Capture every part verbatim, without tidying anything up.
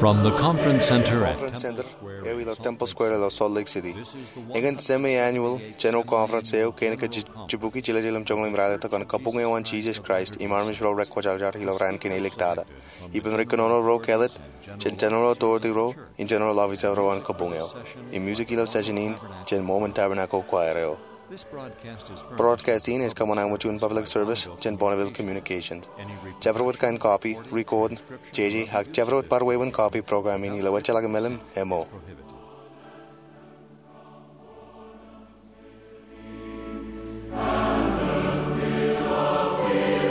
From the Conference Center at Conference Center eo ilo Temple Square ilo Salt Lake City, ekōn semi-annual General Conference eo kein ke ji-, jibukwi jiljilimjuonñoul im ralitōk an kabuñ eo an Jisōs Kraist im armej ro rekwōjarjar ilo raan kein āliktata. Ippān ri kōnono ro kāālōt, jān General Authority ro im General Officer ro an kabuñ eo. Im music ilo session in jān Mormon Tabernacle Choir eo. Broadcast in ej kōṃṃan aṃ juon public service jān Bonneville Communications. Jabdewōt kain copy, record, jeje, ak jabdewōt bar wāween copy program in ilo wōjjeḷọk mālim eo.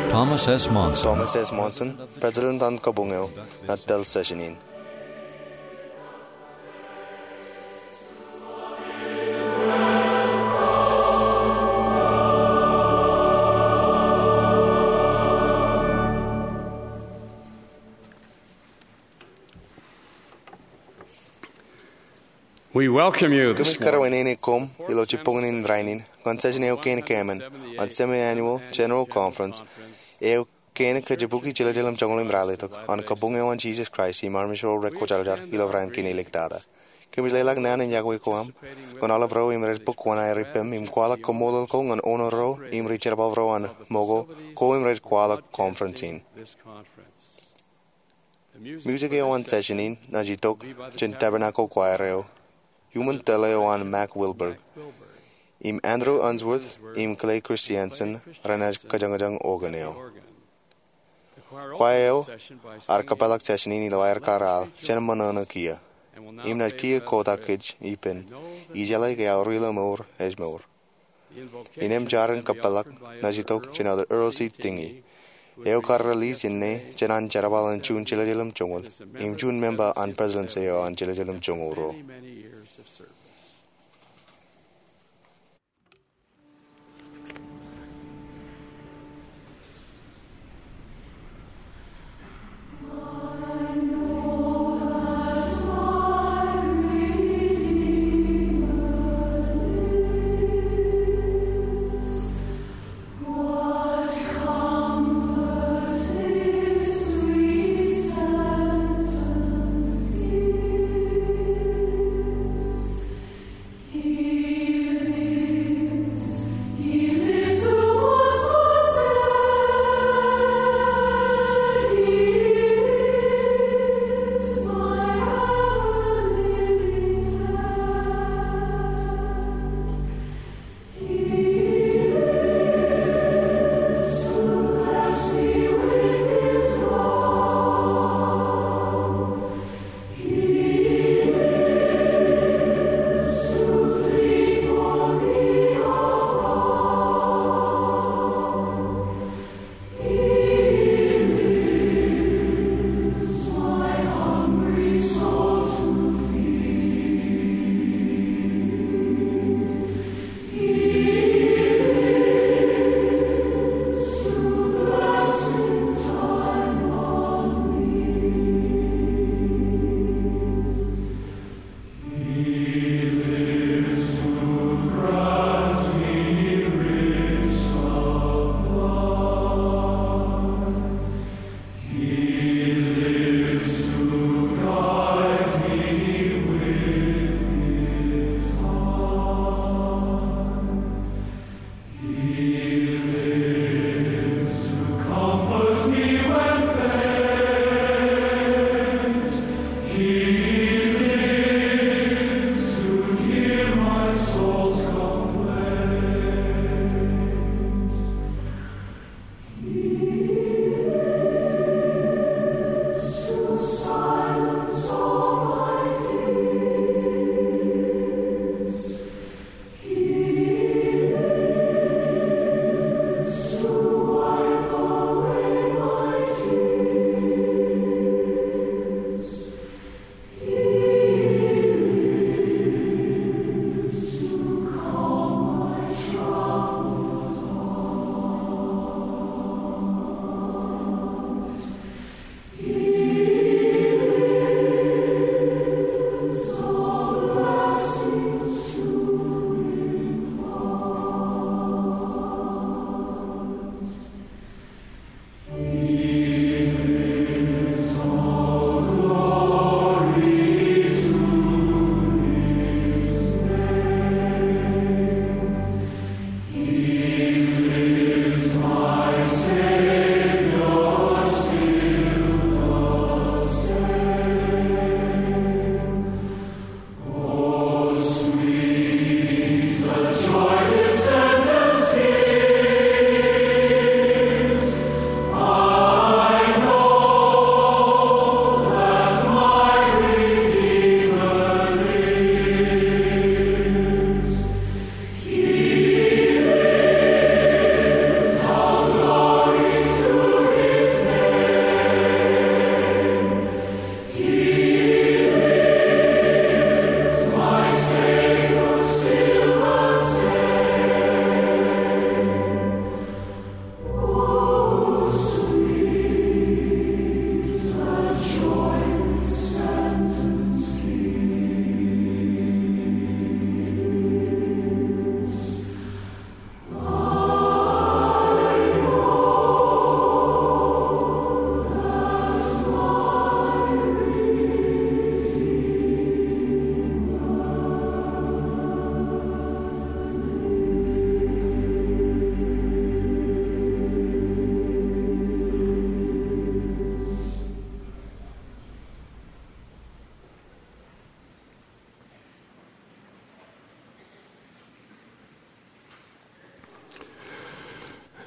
Thomas S. Monson. Thomas S. Monson, President an kabuñ eo, ej tōl session in. We welcome you this morning. Kōmij kōrā wāween koṃ ilo jibboñōn in rainin ñan session eo kein kōṃṃan an semi-annual General Conference eo kein ke jibukwi jiljilimjuonñoul im ralitōk an kabuñ eo an Jisōs Kraist im armej ro rekwōjarjar ilo raan kein āliktata. Kōmij leḷọk naan in iọkwe ko aṃ ñan aolep ro im rej bōk wōṇāer ippem im kwaḷọk kaṃṃoolol ko ñan owner ro im ri jerbal ro an ṃōko ko im rej kwaḷọk conference in. Music eo an session in ej itok jān Tabernacle Choir eo, iuṃwin tōl eo an Mac Wilberg, im Andrew Unsworth im Clay Christiansen renaaj kōjañjañ organ eo. Choir eo ear kōpeḷḷọk session in ilo aer kar al jān ṃōṇōṇō kiiō, im naaj kiiō kotak kōj ippān ijeḷā ke aorōk ilo mour ej mour. Innām jar in kōpeḷḷọk naaj itok jān Elder Earl C. Tingey, eo kar release inne jān an jerbal in juon jiljilimjuonñoul im juon member an presidency eo an jiljilimjuonñoul ruo.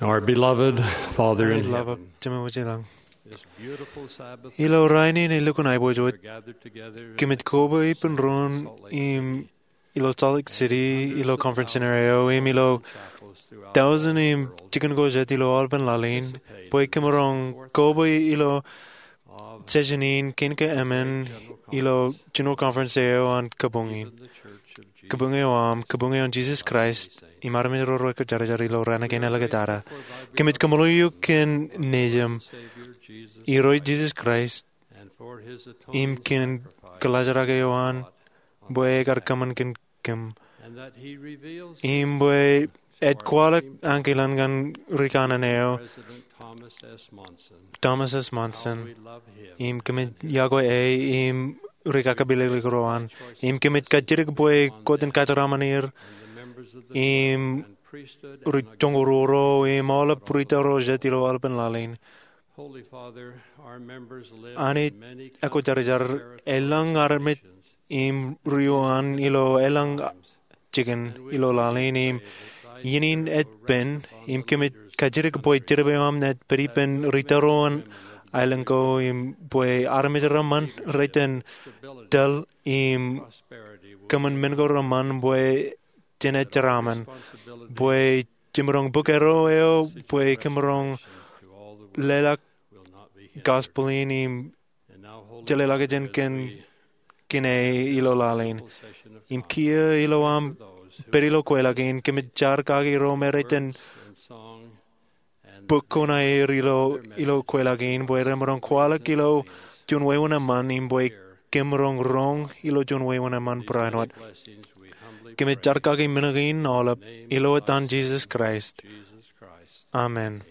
Our beloved Father in Heaven, Jemem wōj ilañ, ilo rainin elukkuun aiboojoj, kōmij koba ippān doon im ilo Salt Lake City ilo conference center eo im ilo tọujin im jikin ko jet ilo aolepān laḷ in bwe kōmaroñ koba ilo session in kein ke emān ilo general conference eo an kabuñ in. Kabuñ eo aṃ, kabuñ eo an Jesus Christ im armej ro rekwōjarjar ilo raan kein āliktata. Kōmij kaṃṃoolol eok kōn Nejiṃ, Irooj Jesus Christ, im kōn kōḷaajrak eo an bwe ekar kōṃṃan kōn kōm, im bwe ej kwaḷọk ankilaan ñan ri kanaan eo, Thomas S. Monson, im kōmij yokwe e im ri kakapilōklōk ro an, im kōmij kajjitōk bwe kwōj kajeraṃṃan er, im ri joñoul ruo im aolep ri tōl ro jet ilo aolepān laḷ in. Anij ekwōjarjar, elōñ armej im ri eo an ilo elōñ jikin ilo laḷ in, im iien in ej pen, im kōmij kajjitōk bwe jedep eo aṃ ej pād ippān ri tōl ro an aelōñ ko, im bwe armej reṃṃan rej iten tōl im kōṃṃan men ko reṃṃan bwe jen jeraṃṃan, bwe jemaroñ bōk erro eo bwe kōmaroñ leḷọk gospel in im jelōḷọkjeṇ kōn kine ilo laḷ in. Im kiiō ilo aṃ pād ilo kweilọk in, kōmij jar kaki ro me rej iten bōk kuṇaer ilo, ilo kweilọk in bwe remaroñ kwaḷọk ilo juon wāween eṃṃan im bwe kōmaroñ roñ ilo juon wāween eṃṃan barāinwōt. Kōmij jar kaki men kein aolep ilo etan Jesus Christ. Amen.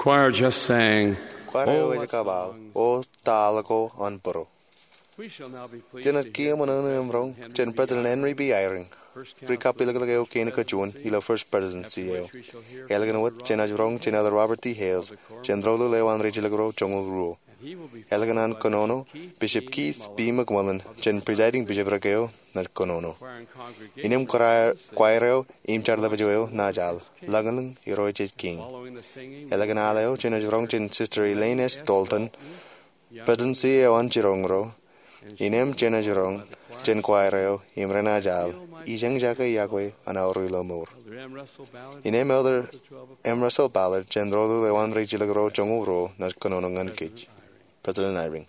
Choir just sang, Kwaar eo ej kabaḷ, O Taḷ ko an Būruo. Jenaaj kiiō ṃōṇōṇō im roñ jān President Henry B. Eyring, ri-kapilōklōk eo kein kajuon ilo First Presidency eo. Ālikin wōt jenaaj roñ jān Elder Robert D. Hales, jān Rōḷuḷ eo an ri-jilkinḷọk joñoul ruo. Ālikin an kōnono, Bishop Keith B. McMullin, jān Presiding Bishopric eo, naaj kōnono. Innām kwaer eo im jar ḷapḷọk eo naaj al, Lañlōñ Irooj Ej Kiiñ. Ālikin al eo jenaaj roñ jān Sister Elaine S. Dalton, Presidency eo an Jiroñ ro. Innām jenaaj roñ jān kwaer eo im renaaj al, Ijeñjake Iọkwe Anaorilo Mour. Innām Elder M. Russell Ballard, jān Rōḷuḷ eo an ri-jilkinḷọk joñoul ruo, naaj kōnono ñan kōj. President Eyring.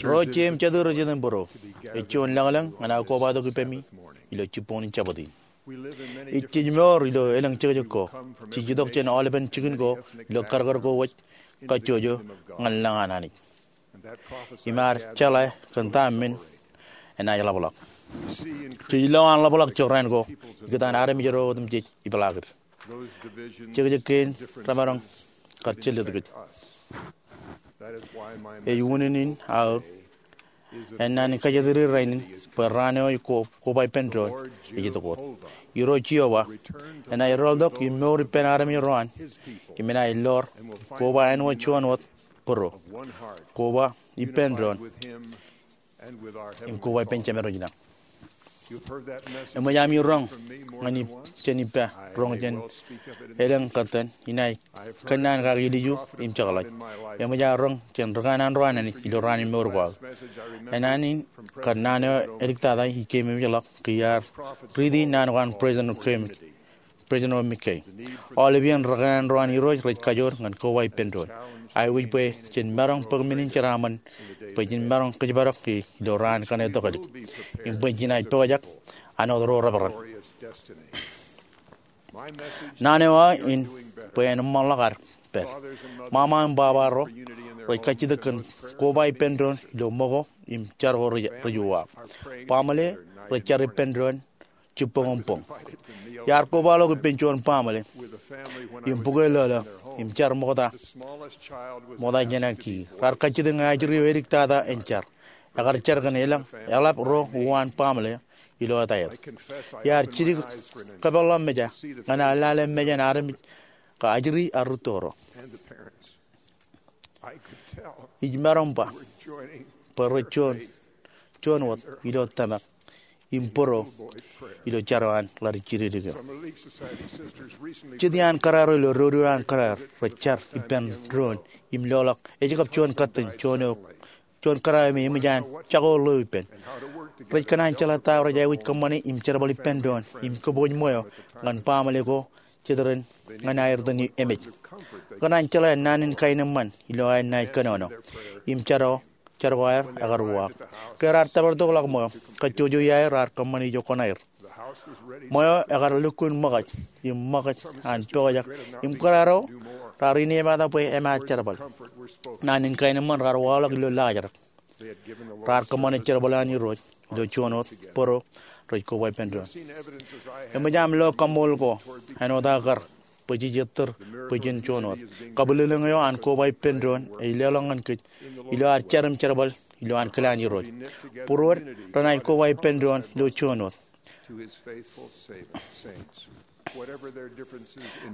Ro jet im jatū ro jet im būruo, ej juon lañlōñ ñan aō kobatok ippemi ilo jibboñin Jabōt in. Ij jejmour ilo elōñ jekjek ko, jej itok jān aolepen jikin ko ilo karkar ko wōj kajjojo ñan lañ an Anij. Im ear jeḷā kōn ta men enaaj ḷapḷọk. Jej lo an ḷapḷọk jokran ko ikōtaan armej ro otemjej ipeḷaakid. Jekjek kein remaroñ kar jelōt kōj. Ej unin in aō ennaan in kajjitōk rainin bwe raan eo ej ko, koba ippān doon ej itok wōt. Irooj Jeova enaaj rooltok im mour ippān armej ro an im enaaj lor koba āinwōt juon wōt būruo, koba ippān doon im koba ippān Jemedwōj lañ. Eṃōj ami roñ ñan ij jān ippa roñ jān elōñ kōttan, inaaj kōnnaan kaki ilju im jekḷaj. Eṃōj aō roñ jān rikān an ro an Anij ilo raan in mour ko aō. Ennaan in kōnnaan eo eliktata ij keememej ḷọk ke iar riiti naan ko an President President McKay. Aolep iien rikān ro an Irooj rej kajoor ñan koba ippān doon. Aikuj bwe jen maroñ bōk men in jeraaṃṃan bwe jen maroñ kōjparok e ilo raan kaṇe tokālik im bwe jenaaj pojak an wōt ro reperan. Naan eo aō in bwe en eṃṃanḷọk ad pād. Ṃaṃa im baba ro rej kajjitōk kōn koba ippān doon ilo ṃōko im jar ko rej uwaak. Baaṃle rej jar ippān doon jibboñ im boñ. Iar kobaḷọk ippān juon baaṃle im bukwe lōḷō im jar ṃokta, ṃokta jān an kiki. Raar kajjitōk ñe ajri eo eliktata en jar. Ekar jar kōn elōñ eḷap ro uwaan baaṃle ilo etaer. Iar jidik kōpeḷḷọk meja ñan aō lale mejān armej kab ajri ak rūtto ro. Ij maroñ ba bwe rej juon, juon wōt ilo tōmak im būruo ilo jar eo an ḷaddik jidikdik eo. Jet iaan kōrā ro ilo dodo an kōrā rej jar ippān doon im loḷọk ej kab juon kōttan, juon eo, juon kōrā eo me eṃōj an jako ḷeo ippān. Rej kōṇaan jeḷā ta eo rej aikuj kōṃṃane im jerbal ippān doon im kōpooj ṃweo ñan baaṃle ko jet ren ñan aer itōn emej. Kōṇaan jeḷā naan in kaenōṃṃan ilo aer naaj kōnono im jar ko, jar ko aer ekar uwaak. Ke raar tōpar tokḷọk ṃweo, kajjojo iaer raar kōṃṃane ijo kuṇaer. Ṃweo ekar lukkuun ṃōkaj im ṃōkaj an pojak im kōrā ro raar inepata bwe emaat jerbal. Naan in kaenōṃṃan raar waḷọk ilo laajrak. Raar kōṃṃane jerbal an Irooj ilo juon wōt būruo rej koba ippān doon. Eṃōj aṃ lo kaṃṃoolol ko āinwōt aō kar bwe jej ettōr bwe jen juon wōt. Kabwilōñlōñ eo an koba ippān doon ej leḷọk ñan kōj ilo ad jar im jerbal ilo ankilaan Irooj. Būruod renaaj koba ippān doon ilo juon wōt.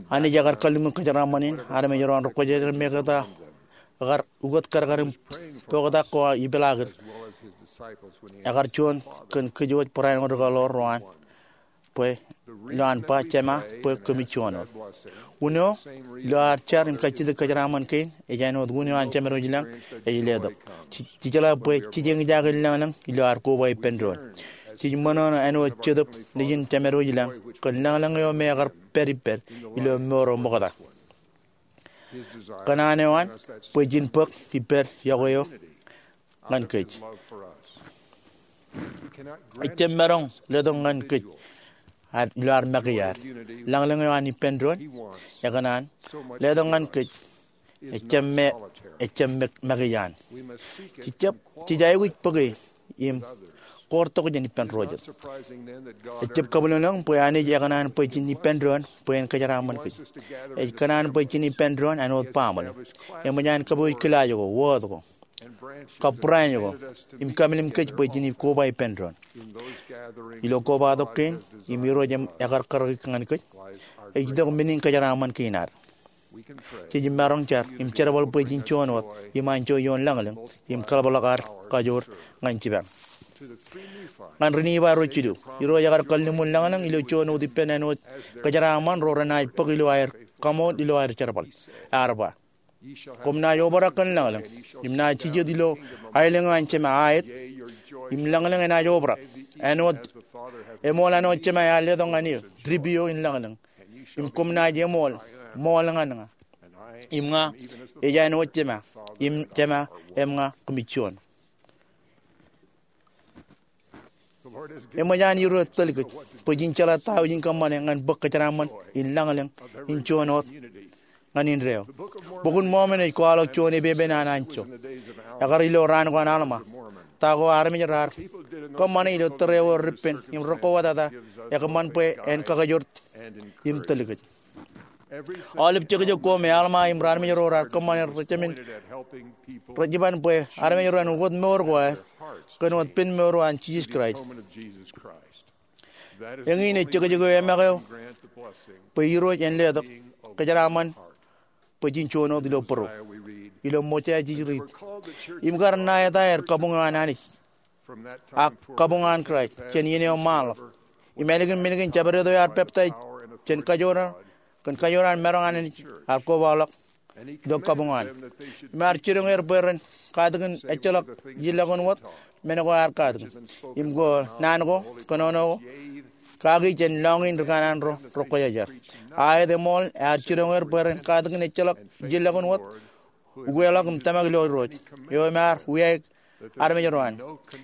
Anij ekar kalliṃur kōjeraaṃṃan in armej ro an rekwōjarjar im ekōta ekar ukōt karkar im poktak ko ipeḷaakid. Ekar juon kōn kōj wōj barāinwōt rūkaḷoor ro an bwe ilo an ba, Jema, bwe kōmij juon wōt. Unin eo ilo ad jar im kajjitōk kōjeraaṃṃan kein ej āinwōt unin eo an Jemedwōj lañ ej letok. Jej, jej jeḷā bwe jej eñjake lañlōñ ilo ad koba ippān doon. Jej ṃōṇōṇō āinwōt Jetōb Nejin Jemedwōj lañ kōn lañlōñ eo me ekar pād ippād ilo mour eo ṃokta. Kōṇaan eo an bwe jen bōk ippād yokwe eo ñan kōj. Ejjab maroñ letok ñan kōj ad ilo ad make iaad. Lañlōñ eo an ippān doon ekōṇaan letok ñan kōj Ejjab me, ejjab me, make iaan. Jej jab, jej aikuj bōke im koortok jān ippān ro jet. Ejjab kabwilōñlōñ bwe Anij ekōṇaan bwe jen ippān doon bwe en kōjeraaṃṃan kōj. Ej kōṇaan bwe jen ippān doon āinwōt baaṃle. Eṃōj an kōpooj kilaaj ko, wōt ko, kab branch ko, im kamelim kōj bwe jen koba ippān doon. Ilo kobatok kein, im Irooj ekar karōk ñan kōj, ej itok men in kōjeraaṃṃan kein ad. Jej maroñ jar im jerbal bwe jen juon wōt im anjọ ioon lañlōñ im kaḷapḷọk ad kajoor ñan jipañ. Ñan ri-Nifai ro jilu, Irooj ekar kalliṃur lañlōñ ilo juon wōt ippān āinwōt kōjeraaṃṃan ro renaaj bōk ilo aer kaṃool ilo aer jerbal. Ear ba, koṃ naaj obrak kōn lañlōñ, im naaj jijet ilo aelōñ eo an Jema aet, im lañlōñ enaaj obrak. Āinwōt, eṃool āinwōt Jema ear letok ñan eō, trip eo in lañlōñ. Im koṃ naaj eṃool, ṃool ñan ña. Im ña, ej āinwōt Jema, im Jema, im ña, kōmij juon. Eṃōj an Irooj tōl kōj bwe jen jeḷā ta eo jen kōṃṃane ñan bōk kōjeraaṃṃan in lañlōñ in juon wōt ñan indeeo. Bok in Mōmon ej kwaḷọk juon epepen an anjọ. Ekar ilo raan ko an Alma. Ta ko armej raar kōṃṃane ilo tōre eo rippen im rekwōtata ekōṃṃan bwe en kakijort im tōl kōj. Aolep jekjek ko me Alma im raarmej ro raar kōṃṃane rej jab in, rej jiban bwe armej ro en wōt mour ko aer kōn wōt pen mour eo an Jisōs Kraist. Eñin ej jekjek eo emak eo bwe Irooj en letok kōjeraaṃṃan bwe jen juon wōt ilo bōro. Ilo Mosea jej riit, im kar ṇa eta aer kabuñ eo an Anij, ak kabuñ an Kraist jān iien eo ṃaanḷọk. Im ālikin men kein jabdewōt eo ear peptaij jān kajoor, kōn kajoor an maroñ an Anij ear kobaḷọk ilo kabuñ eo an. Im ear jiroñ er bwe ren katakin ejjeḷọk ijellọkin wōt men ko ear katakin. Im ko naan ko, kōnono ko, kaki jān lọñiin in ri kanaan ro rekwōjarjar. Aet eṃool ear jiroñ er bwe ren katakin ejjeḷọk ijellọkin wōt, ukweḷọk im tōmak ilo Irooj eo im ear wiaik armej ro an.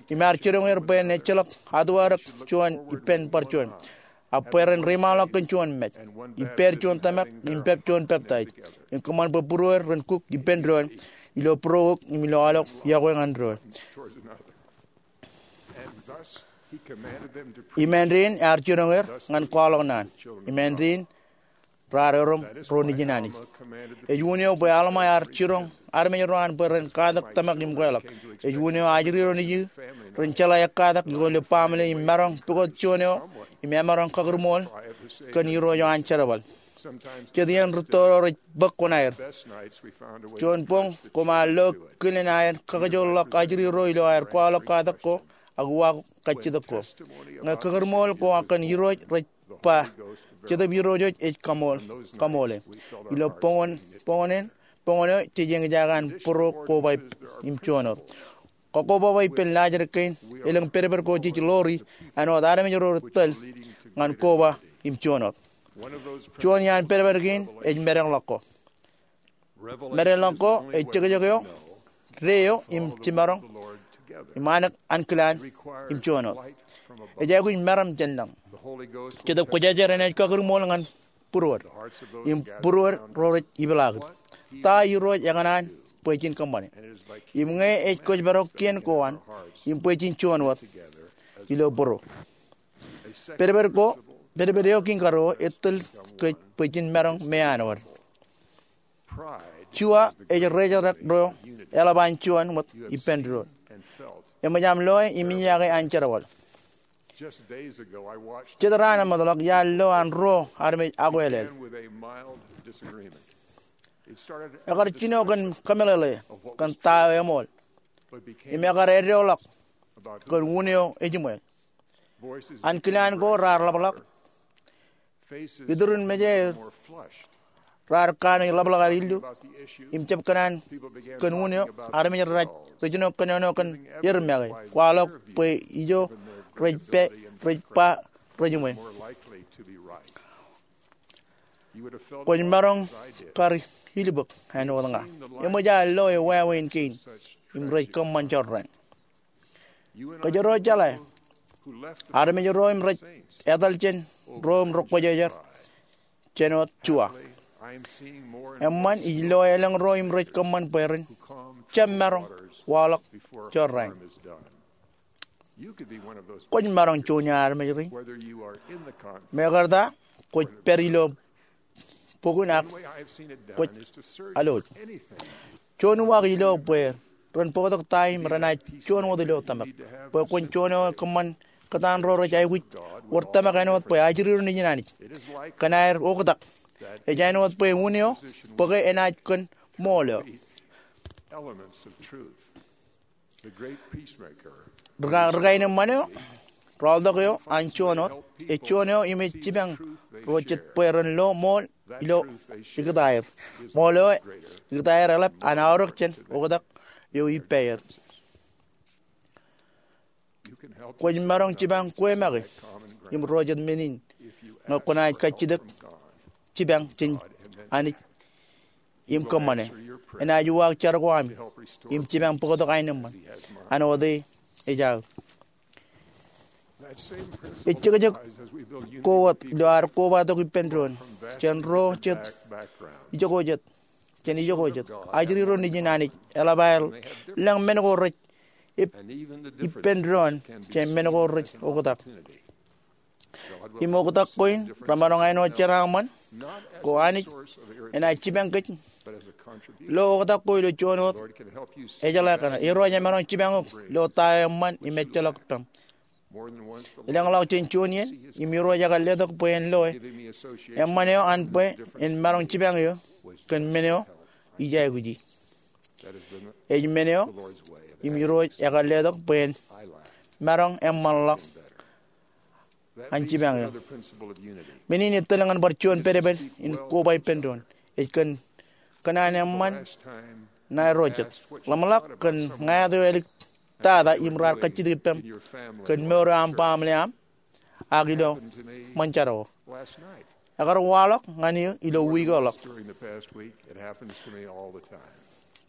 Im ear jiroñ er bwe en ejjeḷọk atuarōk juon ippān bar juon, ak bwe ren reiṃaanḷọk kōn juon mej, ippāer juon tōmak im pep juon peptaij, im kōṃṃan bwe būrueir ren kuk ippān doon ilo būrook im ilo aolep yokwe ñan doon. Im āindein ear jiroñ er ñan kwaḷọk naan. Im āindein raar erom ro nejin Anij. Ej unin eo bwe Alma ear jiroñ armej ro an bwe ren katak tōmak im kweḷọk. Ej unin eo ajri ro nejū ren jeḷā ekkatak ilo baaṃle im maroñ pukot juon eo im emaroñ kakūrṃool kōn irooj eo an jerbal. Jet iien rūtto ro rej bōk kuṇaer. Juon boñ koṃ ar lo kilen aer kakijoorḷọk ajri ro ilo aer kwaḷọk katak ko ak uwaak kajjitōk ko. Ñe kakūrṃool ko kōn irooj rej ba, Jetōb Irooj ej kaṃool, kaṃoole. Ilo boñōn, boñōn eo jej eñjake an būruo koba im juon wōt. Kakoba ippān laajrak kein, elōñ pedped ko jej ḷoori āinwōt armej ro rej tōl ñan koba im juon wōt. Juon iaan pedped kein ej medeḷọk ko. Medeḷọk ko ej jekjek eo, deo im jimaroñ, im ankilaan im juon wōt. Ej aikuj meram jān lañ. Jetōb Kwōjarjar enaaj kakūrṃool ñan būruod im būruod ro rej ipeḷaakid ta Irooj ekōṇaan bwe jen kōṃṃane. Im ñe ej kwōjparok kien ko an im bwe jen juon wōt ilo būruo. Pedped ko, pedped eo kein karuo etōl kōj bwe jen maroñ meanwōd. Jua ej rejerrek ro eḷap an juon wōt ippān doon. Eṃōj aṃ loe im iññake an jerbal. Jet raan eṃōtḷọk iar lo an ruo armej akwelel. Ekar jino kōn kōmeḷeḷe kōn ta eo eṃool im ekar eddoḷọk kōn un eo ejiṃwe. Ankilaan ko raar ḷapḷọk. Iturin mejaer raar kanooj ḷapḷọk aer illu im jab kōṇaan kōn un eo armej rej jino kōnono kōn er make, kwaḷọk bwe ijo rej pā, rej ba rejiṃwe. Kwōj maroñ kar ilbōk āinwōt ña. Eṃōj aō loe wāween kein im rej kōṃṃan jorrāān. Kōjro jeḷā armej ro im rej etal jān ro im rekwōjarjar jān wōt Jua. Eṃṃan ij lo elōñ ro im rej kōṃṃan bwe ren jab maroñ waḷọk jorrāān. Kwōj maroñ juon iaan armej ri. Mekarta kwōj pād ilo bukun ak kwōj alwōj. Juon uwaak ilo bwe ren bōktok ta im renaaj juon wōt ilo tōmak. Bwe kwōn juon eo kōṃṃan kōtaan ro rej aikuj wōr tōmak āinwōt bwe ajri ro nejin Anij. Kōn aer oktak, ej āinwōt bwe un eo bōke enaaj kōn ṃool eo. Rika-, rikain eṃṃan eo, rọọltok eo an juon wōt, ej juon eo im ej jipañ ro jet bwe ren lo ṃool ilo ikōtaer. Ṃool eo ikōtaer eḷap an aorōk jān oktak eo ippaer. Kwōj maroñ jipañ kwe make im ro jet men in ñe kwōnaaj kajjitōk jipañ jān Anij im kōṃṃane. Enaaj uwaak jar ko ami im jipañ bōktok aenōṃṃan an wōt e ej aō. Ejjekjek ko wōt ilo ad kobatok ippān doon jān ro jet ijoko jet, jān ijoko jet. Ajri ro nejin Anij eḷap aer lōñ men ko rej ip-, ippān doon jān men ko rej oktak. Im oktak ko in remaroñ āinwōt jeraaṃṃan ko Anij enaaj jipañ kōj. Lo oktak ko ilo juon wōt ejeḷā kaṇe. Irooj emaroñ jipañ eok ilo ta eo eṃṃan im ejjeḷọk ippaṃ. Elōñḷọk jān juon iien im Irooj ekar letok bwe en loe eṃṃan eo an bwe en maroñ jipañ eō kōn men eo ij aikuji. Ej men eo im Irooj ekar letok bwe en maroñ eṃṃanḷọk an jipañ eō. Men in ettōl ñan bar juon pedped in koba ippān doon. Ej kōn kōṇaan eṃṃan ṇae ro jet. Ḷōmṇak kōn ñāāt eo āliktata im raar kajjitōk ippaṃ kōn mour eo aṃ baaṃle aṃ ak ilo ṃōn jaro. Ekar waḷọk ñan eō ilo wiik eo ḷọk.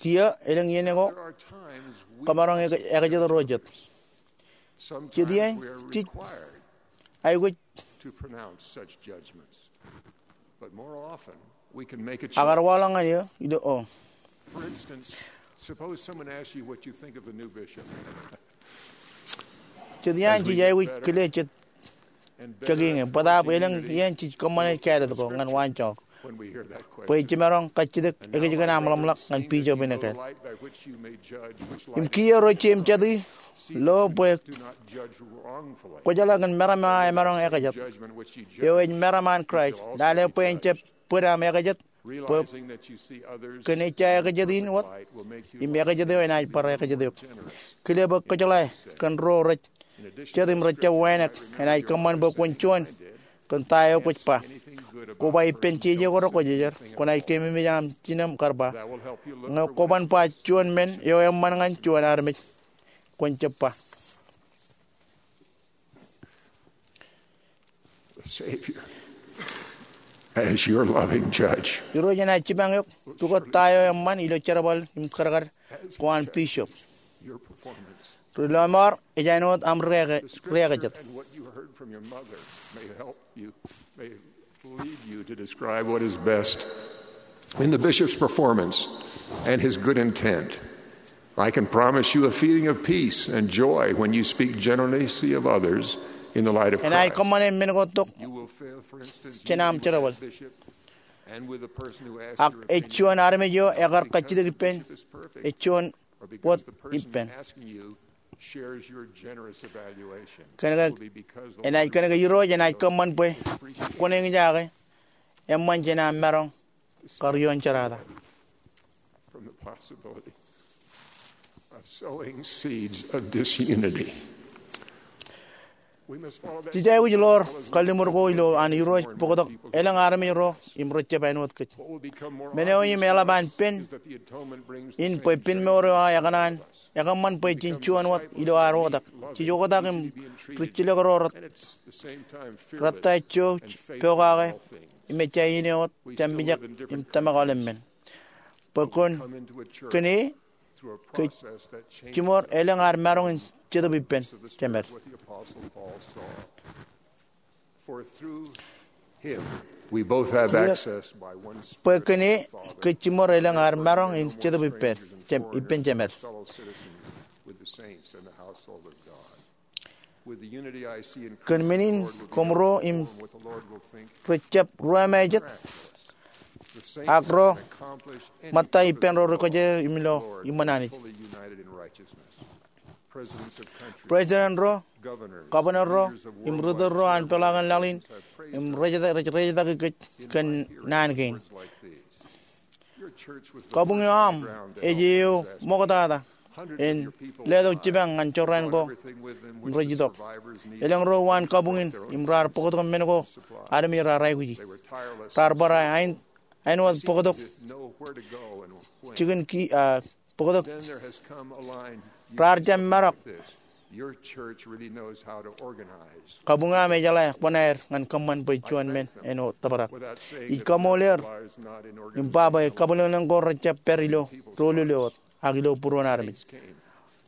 Kiiō elōñ iien ko kōmaroñ ekajet ro jet. Jet iaan jej aikuj ak ekar waḷọk ñan eō ilo o. Jet iaan jej aikuj kile jet kōkiiñ e, bōtaab elōñ iien jej kōṃṃane kāālōt ko ñan waanjoñak bwe jemaroñ kajjitōk ekōjkan aṃ ḷōmṇak ñan bishop in ekāāl. Im kiiō ro jeiū im jatū, lo bwe kwōjeḷā kōn meram eo aō emaroñ ekajet, eo ej meram an Kraist, lale bwe en jab bōd aṃ ekajet, bwe kōn ejja ekajet in wōt im ekajet eo enaaj bar ekajet eok. Kile bwe kwōjeḷā kōn ro rej jet im rej jab wānōk enaaj kōṃṃan bwe kwōn juon kōn ta eo kwōj ba. Koba ippān jeje ko rekwōjarjar, kwōnaaj keememej aṃ jinem kar ba. Ñe kwōban ba juon men eo eṃṃan ñan juon armej, kwōn jab ba. Irooj enaaj jipañ eok pukot ta eo eṃṃan ilo jerbal im kadkad ko an bishop. Ri lọmọọr, ej āinwōt aṃ ri-ekajet. Lead you to describe what is best in the bishop's performance and his good intent. I can promise you a feeling of peace and joy when you speak generously of others in the light of Christ. Enaaj kōṃṃane men ko tok jān aṃ jerbal. Ak ej juon armej eo ekar kajjitōk ippān, ej juon wōt ippān. Kōn ke enaaj, kōn ke Irooj enaaj kōṃṃan bwe kwōn eñjake eṃṃan jān aṃ maroñ kar ioon jerata. Jej aikuj ḷoor kalliṃur ko ilo an Irooj bōktok elōñ armej ro im rej jab āinwōt kōj. Men eo im eḷap an pen in bwe pen mour eo aō ekōṇaan ekōṃṃan bwe jen juon wōt ilo ad oktak. Jej oktak im rijjilōk ro rōttan, rej pokake im ejja iien eo wōt jab mijak im tōmak aolep men. Bwe kōn, kōn e kōj jiṃor elōñ ad maroñ in jetōb ippān jemed. Bwe kōn e kōj jiṃor elōñ ad maroñ in Jetōb ippān, ippān Jemed. Kōn men in koṃro im rej jab ruwamāejet, ak ro ṃōtta ippān ro rej kōjjeḷā im ilo iṃōn Anij. President ro, governor ro, im ri tōl ro an peḷaakin laḷ in, im rej, rej, rej etaki kōj kōn naan kein. Kabuñ eo aṃ ej eo ṃoktata en letok jipañ ñan jorrāān ko rej itok. Elōñ ro uwaan kabuñ in im raar bōktok men ko armej raar aikuji. Raar bar āinwōt bōktok jikin ki, ah, bōktok. Raar jab marok. Kabuñ eo aṃ ejeḷā kōṇaan ñan kōṃṃan bwe juon men āinwōt tōprak. Ij kaṃool er im ba bwe kabwilōñlōñ ko rejjab pād ilo doulul eo wōt ak ilo būruon armej.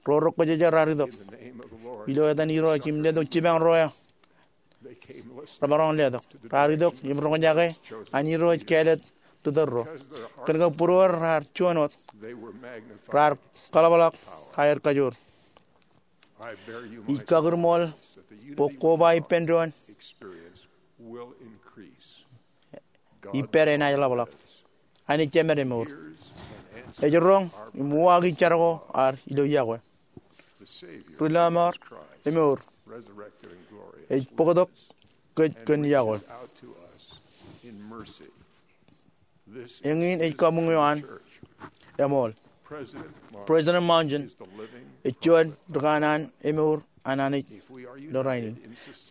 Ro rej kōjjeḷā raar itok. Ilo etan Irooj im letok jipañ ro eo remaroñ letok. Raar itok im roñjake an Irooj kāālōt ri tōl ro. Kōn ke būruod raar juon wōt, raar kaḷapḷọk aer kajoor. Ij kakūrṃool bwe koba ippān doon ippād enaaj ḷapḷọk. Anij Jemed emour ej roñ im uwaaki jar ko ad ilo yokwe. Ri lọmọọr emour ej bōktok kōj kōn yokwe. Eñin ej kabuñ eo an eṃool. President Monson ej juon ri kanaan emour an Anij ilo rainin.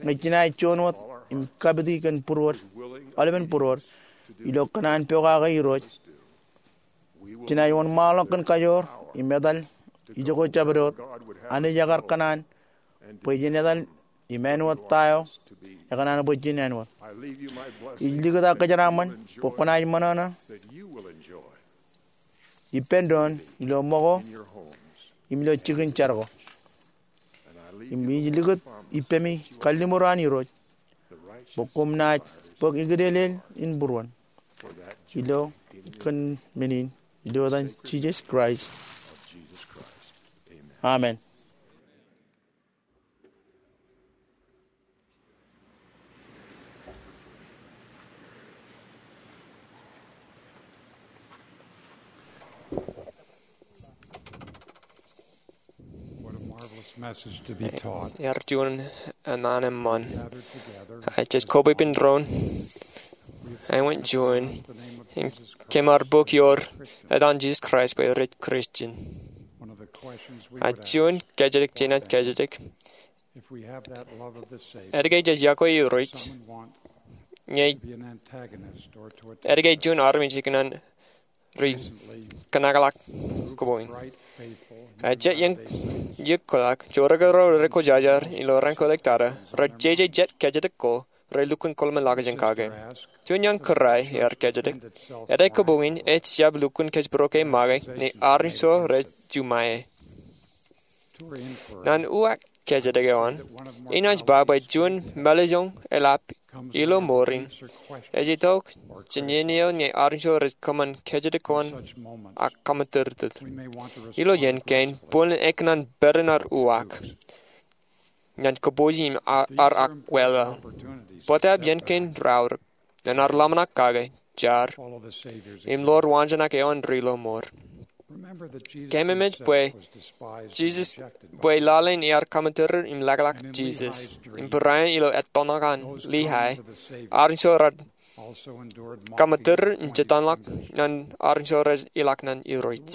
Ñe jenaaj juon wōt im kapiti kōn būruod, aolepen būruod, ilo kōṇaan pokake Irooj, jenaaj wōnṃaanḷọk kōn kajoor im etal ijoko jabdewōt. Anij ekar kōṇaan bwe jen etal im āinwōt ta eo ekōṇaan bwe jen āinwōt. Ij likūt aō kōjeraaṃṃan bwe kwōnaaj ṃōṇōṇō ippān doon ilo ṃōko im ilo jikin jar ko. Im ij likūt ippemi kalliṃur an Irooj bwe koṃ naaj bōk ikdeḷeḷ in būruon. Ilo kōn men in, ilo etan Jisōs Kraist. Amen. What a marvelous message to be taught. Ear juon naan eṃṃan. Gathered together. Ij kobwe ippān doon. Āinwōt juon. Im kōm ar bōk ioon etan Jisōs Kraist bwe rej Kristian. One of the questions we would ask. Juon kōjatdikdik jenaaj kōjatdikdik. If we have that love of the Savior, etke jej iọkwe Irooj, someone want ñe to be an antagonist or to attack. Etke juon armej ikōṇaan ri kōnaklọk kōpoon. Jet iien iukḷọk, jorrāān ro rej kwōjarjar ilo raan ko ḷọk tata, rej jeje jet kōjatdikdik ko, rej lukkuun kōḷmānḷọkjeṇ in kake. Juon iaan kōrā ear kōjatdikdik, etke kōpoon ej jab lukkuun kōjparok e make ñe armej ro rej juṃae? Naan uwaak kōjatdikdik eo an, enaaj ba bwe juon mālejjoñ eḷap ilo mour in ej itok jān iien eo ñe armej ro rej kōṃṃan kōjatdikdik eo an ak kōmmatūrtūr. Ilo iien kein, bōlen ekōṇaan pād ippān ad uwaak ñan kōpooji im ar akwāāl. Bōtaab iien kein raorōk ñan ad ḷōmṇak kake, jar, im ḷoor waanjoñak eo an ri lọmọọr. Kōmemej bwe Jisōs, bwe lale in ear kōmmatūrtūr im lakḷọk Jisōs. Im barāinwōt ilo ettōṇak an Lehi, armej ro raar kōmmatūrtūr im jitōñḷọk ñan armej ro rej ilọk ñan Irooj.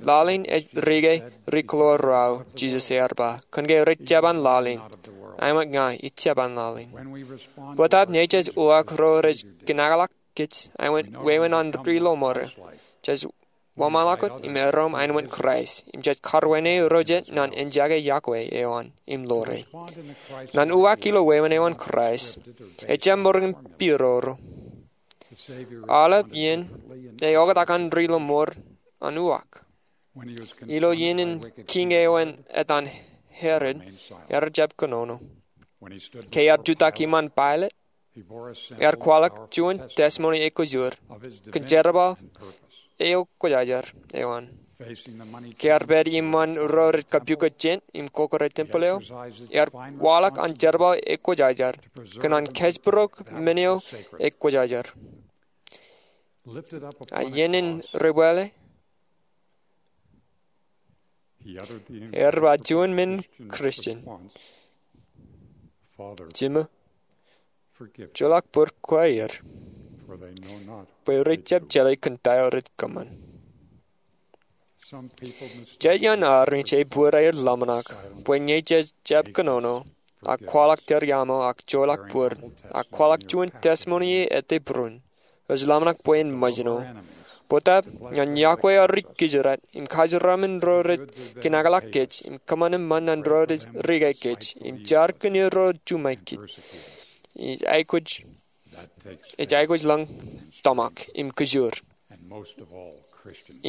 Lale in ej rike ri kōḷoor ro aō, Jisōs ear ba, kōnke rej jab an lale in, āinwōt ña ij jab an lale in. Bōtaab ñe jej uwaak ro rej kōnaklọk kōj āinwōt wāween an ri lọmọọr, jej wōnṃaanḷọk wōt im erom āinwōt Kraist, im jej karwaineik ro jet ñan enjake iọkwe eo an im ḷoore. Naan uwaak ilo wāween eo an Kraist ejjab ṃōrōk im pidodo. Aolep iien ej oktak an ri lọmọọr an uwaak. Ilo iien in kiiñ eo an etan Herod, ear jab kōnono. Ke ear jutak iṃaan Pailet, Ear kwaḷọk juon testimony ekwojoor kōn jerbal eo kwōjarjar eo an. Ke ear pād iṃaan ro rej kapukot jān im kokooj tempeḷ eo, ear waḷọk an jerbal ekwōjarjar kōn an kōjparok men eo ekwōjarjar. Ak iien in debwāāl, ear ba juon men Christian, Jim, joḷọk bōd kwe er, bwe rej jab jeḷā kōn ta eo rej kōṃṃan. Jej iaan armej ej bōd aer ḷōmṇak bwe ñe jej jab kōnono ak kwaḷọk tōre iaaṃo ak joḷọk bōd ak kwaḷọk juon testimony ej ettā būruon, ej ḷōmṇak bwe en ṃōjṇo. Bōtab ñan yokwe arij kijirāt im kajeraṃṃan ro rej kinakḷọk kōj im kōṃṃan eṃṃan ñan ro rej riga kōj im jar kōn ro juṃae kōj, ej aikuj, ej aikuj ḷọk tōmak im kōjoor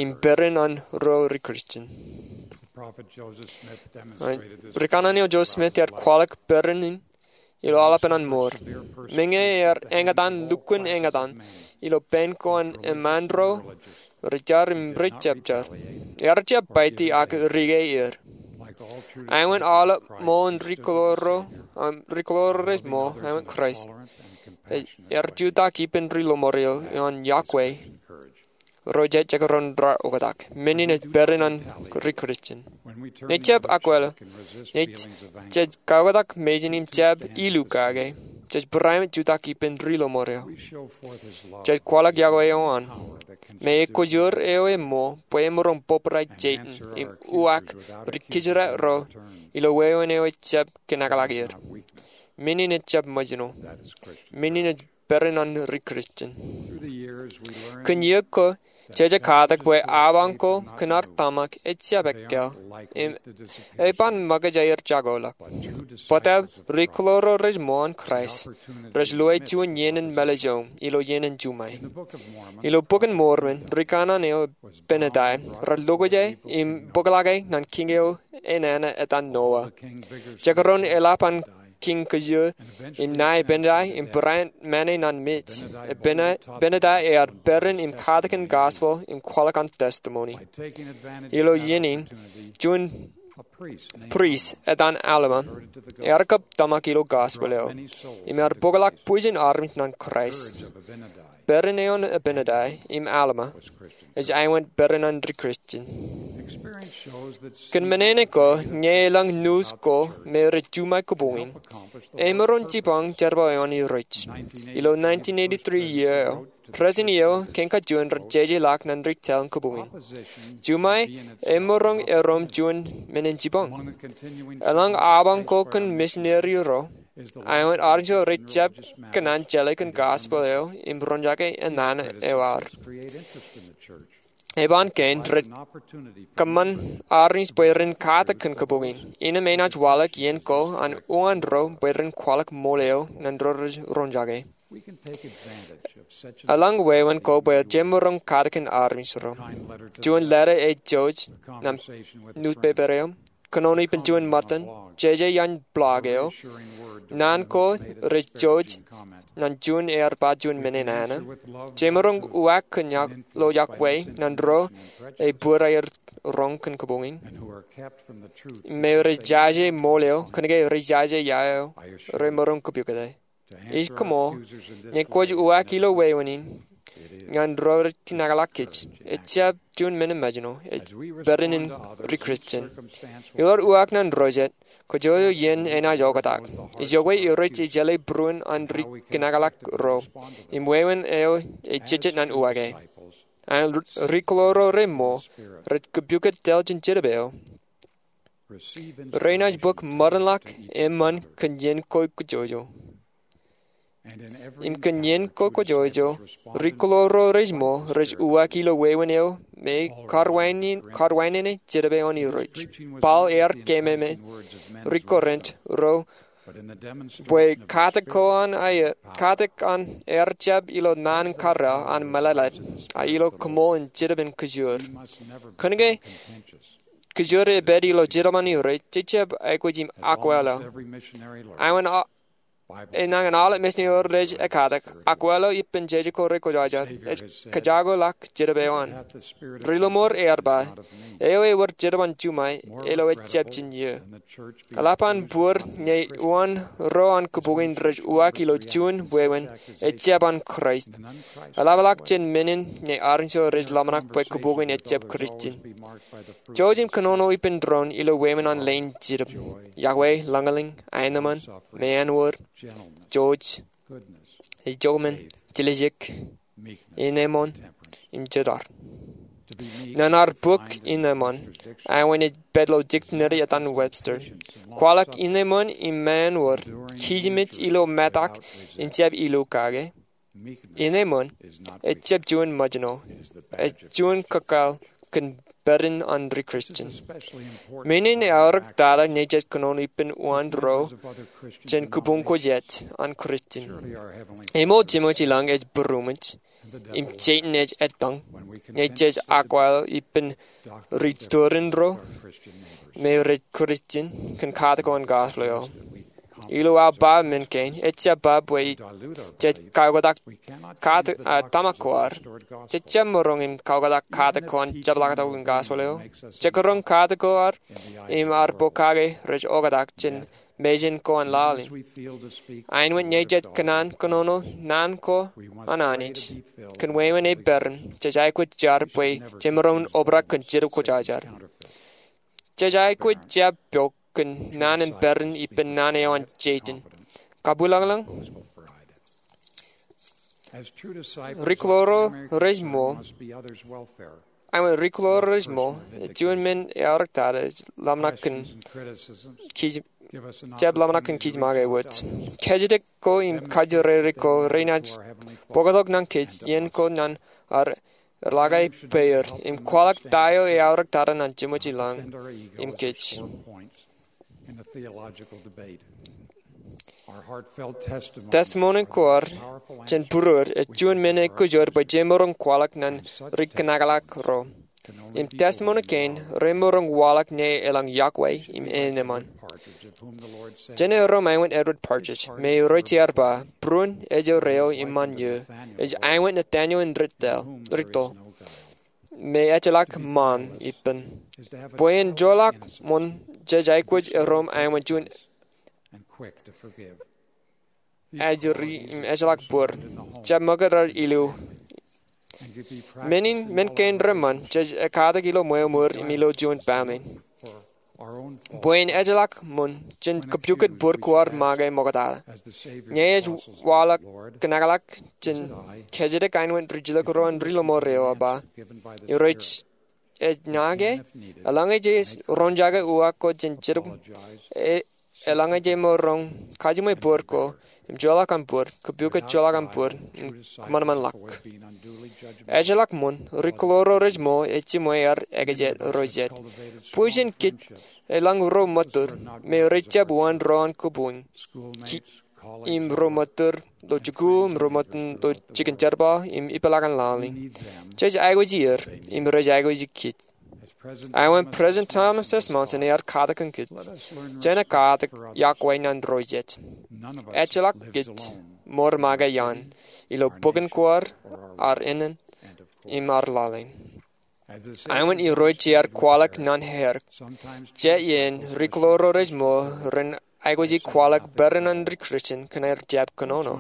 im peran an ro rej Christian. Rikanaan eo Joseph Smith ear kwaḷọk peran in ilo aolepen an mour. Meñe ear eñtaan lukkuun eñtaan ilo pān ko an eṃṃaan ro rej jar im rej jab jar, ear jab baiti ak riga er. Āinwōt aolep ṃool in ri-kōḷaḷḷo, ri-kōḷaḷḷo rej ṃool āinwōt Kraist, ear jutak ippān ri-lọmọọr eo an yokwe ro jet jekdọọn raar oktak. Men in ej peran an ri-Christian. Ñe jej akwāāl, ñe jej kaoktak mejān im jab ilu kake, jej barāinwōt jutak ippān ri-lọmọọr eo. Jej kwaḷọk yokwe eo an me ekwojoor eo eṃṃool bwe emaroñ bōbrae Setan im uwaak ri-kijirāt ro ilo wāween eo ejab kinakḷọk er. Men in ejab ṃōjṇo. Men in ej peran an ri-Christian. Kōn iiō ko, jeje katak bwe abañ ko kōn ad tōmak ejab ekkāāl im eban ṃōkaj aer jakoḷọk. Bōtab ri-kōḷaḷḷo rej ṃool an Kraist rej lewōj juon iien in mālejōñ ilo iien in juṃae. Ilo Bok in Mormon, rikanaan eo Abinadi rej lokjāe im bōkḷọke ñan kiiñ eo enana etan Noa. Jekdọọn eḷap an kiiñ kōjro im ṇae Abinadi im barāinwōt mane ñan mej. Abinadi ear peran im katakin gospel im kwaḷọk an testimony. Ilo iien in, juon priest etan Alma ear kab tōmak ilo gospel eo im ear bōkḷọk bwijin armej ñan Kraist. Peran eo an Abinadi im Alma ej āinwōt peran an ri-Christian. Kōn men in ko, ñe elōñ news ko me rej juṃae kabuñ in, emaroñ jipañ jerbal eo an Irooj. Ilo nineteen eighty-three iiō eo, president eo kein kajuon rej jejeḷọk ñan ri-tōl in kabuñ in. Juṃae emaroñ erom juon men in jipañ. Elōñ abañ ko kōn misineri ro, āinwōt armej ro rej jab kōṇaan jeḷā kōn gospel eo im roñjake enana eo ad. Eban kein rej kōṃṃan armej bwe ren katak kōn kabuñ in. Innām enaaj waḷọk iien ko an uwaan ro bwe ren kwaḷọk ṃool eo ñan ro rej roñjake. Elōñ wāween ko bwe jemaroñ katakin armej ro. Juon leta ej jouj ñan newspaper eo, kōnono ippān juon ṃōttan, jeje iaan blog eo, naan ko rej jouj ñan juon ear ba juon men enana, jemaroñ uwaak kōn lo yokwe ñan ro ej bōd aer roñ kōn kabuñ in, me rej jaje ṃool eo, kōnke rej jaje ia eo remaroñ kapukot e. Ij koṃṃool, ñe kwōj uwaak ilo wāween in ñan ro rej kinakḷọk kōj, ejjab juon men eṃōjṇo, ej peran in ri-Christian. Ilo ad uwaak ñan ro jet, kōjro iien enaaj oktak. Ej yokwe Irooj ej jeḷā būruon an ri-kinakḷọk ro im wāween eo ej jejjet ñan uwaake. Ak ri-kōḷaḷḷo reṃṃool rej kapukot tōl jān Jetōb eo, renaaj bōk ṃōdenḷọk eṃṃan kōn iien ko kōjro. Im kōn iien ko kōjro, ri-kōḷaḷḷo reṃṃool rej uwaak ilo wāween eo me karwainenein Jetōb eo an Irooj. Paul ear keememej ri-Korint ro bwe katak ko an aer, katak an aer jab ilo naan karreel an mālōtlōt, a ilo koṃṃool in Jetōb in kōjoor. Kōnke kōjoor epād ilo Jetōb an Irooj, jejjab aikuj im akwāāl. Āinwōt a- enañin aolep mejān eo rej ekkatak, akwāāl eo ippān jeje ko rej kwōjarjar, ej kōjako ḷọk Jetōb eo an. Ri-lọmọọr ear ba, eo ewōr Jetōb an juṃae, ilo ejjab jān eō. Eḷap an bōd ñe uwaan ro an kōpooj in rej uwaak ilo juon wāween, ejjab an Kraist. Eḷapḷọk jān men in ñe armej ro rej ḷōmṇak bwe kōpooj in ejjab Kristian. Jouj im kōnono ippān doon ilo wāween an leen Jetōb. Yokwe, lañlōñ, aenōṃṃan, meanwōd, jouj, ijoṃṃan, tiljek, ineṃṃan, im jetar. Nōn ad bōk ineṃṃan, āinwōt ej pād ilo dictionary etan Webster, kwaḷọk ineṃṃan im meanwōd, kijem ej ilo metak im jab ilo kake. Ineṃṃan ejjab juon ṃōjṇo, ej juon kōkkaḷ kōn pād in an ri-Kristian. Men in eaorōk tata ñe jej kōnono ippān uwaan ro jān kōpooj ko jet an Kristian. Eṃool Jemem ilañ ej būroṃōj, im Setan ej ettōñ, ñe jej akwāāl ippān ri-tōre in ro me rej Kristian kōn katak ko an gospel eo. Ilo aō ba men kein, ejjab ba bwe jej kaoktak katak, a, tōmak ko ad. Jejjab maroñ in kaoktak katak ko an jepḷaaktok in gospel eo. Jekdọọn katak ko ad im ad pokake rej oktak jān mejān ko an laḷ in. Āinwōt ñe jej kōṇaan kōnono naan ko an Anij kōn wāween eo peran, jej aikuj jar bwe jemaroñ in obrak kōn Jetōb Kwōjarjar. Jej aikuj jab pok kōn naan in peran ippān naan eo an Setan. Kabwilañlañ, ri-klōro rej ṃool, āinwōt ri-klōro rej ṃool, ej juon men eaorōk tata ej ḷōmṇak kōn kij, jab ḷōmṇak kōn kijmake wōj. Kōjatdikdik ko im kajjirere ko renaaj bōktok nañ kōj iien ko ñan ad ḷak aer peier im kwaḷọk ta eo eaorōk tata ñan Jemem ilañ im kōj. Testimoni ko ad jān būruod ej juon men eo kōjot bwe jemaroñ kwaḷọk ñan ri-kōnḷọkḷọk ro. Im testimoni kein remaroñ waḷọk ñe elōñ yokwe im eneṃṃan. Jen erom āinwōt Edward Partridge, me rej iar ba, būruon ejjeḷọk eo iṃaan eō, ej āinwōt Nathaniel Riddell, Riddell, me ejjeḷọk ṃaan ippān. Bwe en joḷọk ṃoṇ jej aikuj erom āinwōt juon ajri im ejjeḷọk bōd. Jab ṃōkaj ad ilo men in, men kein reṃṃan, jej ekkatak ilo ṃweo ṃōd im ilo juon baaṃle. Bwe en ejjeḷọk ṃoṇ, jen kōpukot bōd ko ad make ṃoktata. Ñe ej waḷọk kōnḷọkḷọk, jen kōjatdikdik āinwōt rijjilōk ro an ri-lọmọọr eo ej ba, ij rej ej ña ke, eḷaññe jej roñjake uwaak ko jān Jetōb, e, eḷaññe jemaroñ kajiṃwe bōd ko, im joḷọk an bōd, kōpukot joḷọk an bōd, im kōṃanṃanḷọk. Ejjeḷọk ṃoṇ, ri-klōro rej ṃool, ej jiṃwe ad ekajet ro jet. Bwe jen kōj, eḷaññe ro ṃōttor, me rej jab uwaan ro an kōpooj. Ki, im ro ṃōttor ilo jikuuḷ, im ro ṃōttor ilo jikin jerbal, im ipeḷaakin laḷ in. Jej aikuji er, im rej aikuji kōj. Āinwōt President Thomas S. Monson ear katak kōn kōj, jen ekkatak yokwe ñan ro jet. Ejjeḷọk kōj ṃool make iaan, ilo bōk in ko ad, ad ānen, im ad laḷ in. Āinwōt irooj ear kwaḷọk ñan aer, jet iien ri-klōro rej ṃool ren aikuji kwaḷọk peran an ri-Kristian kōn aer jab kōnono.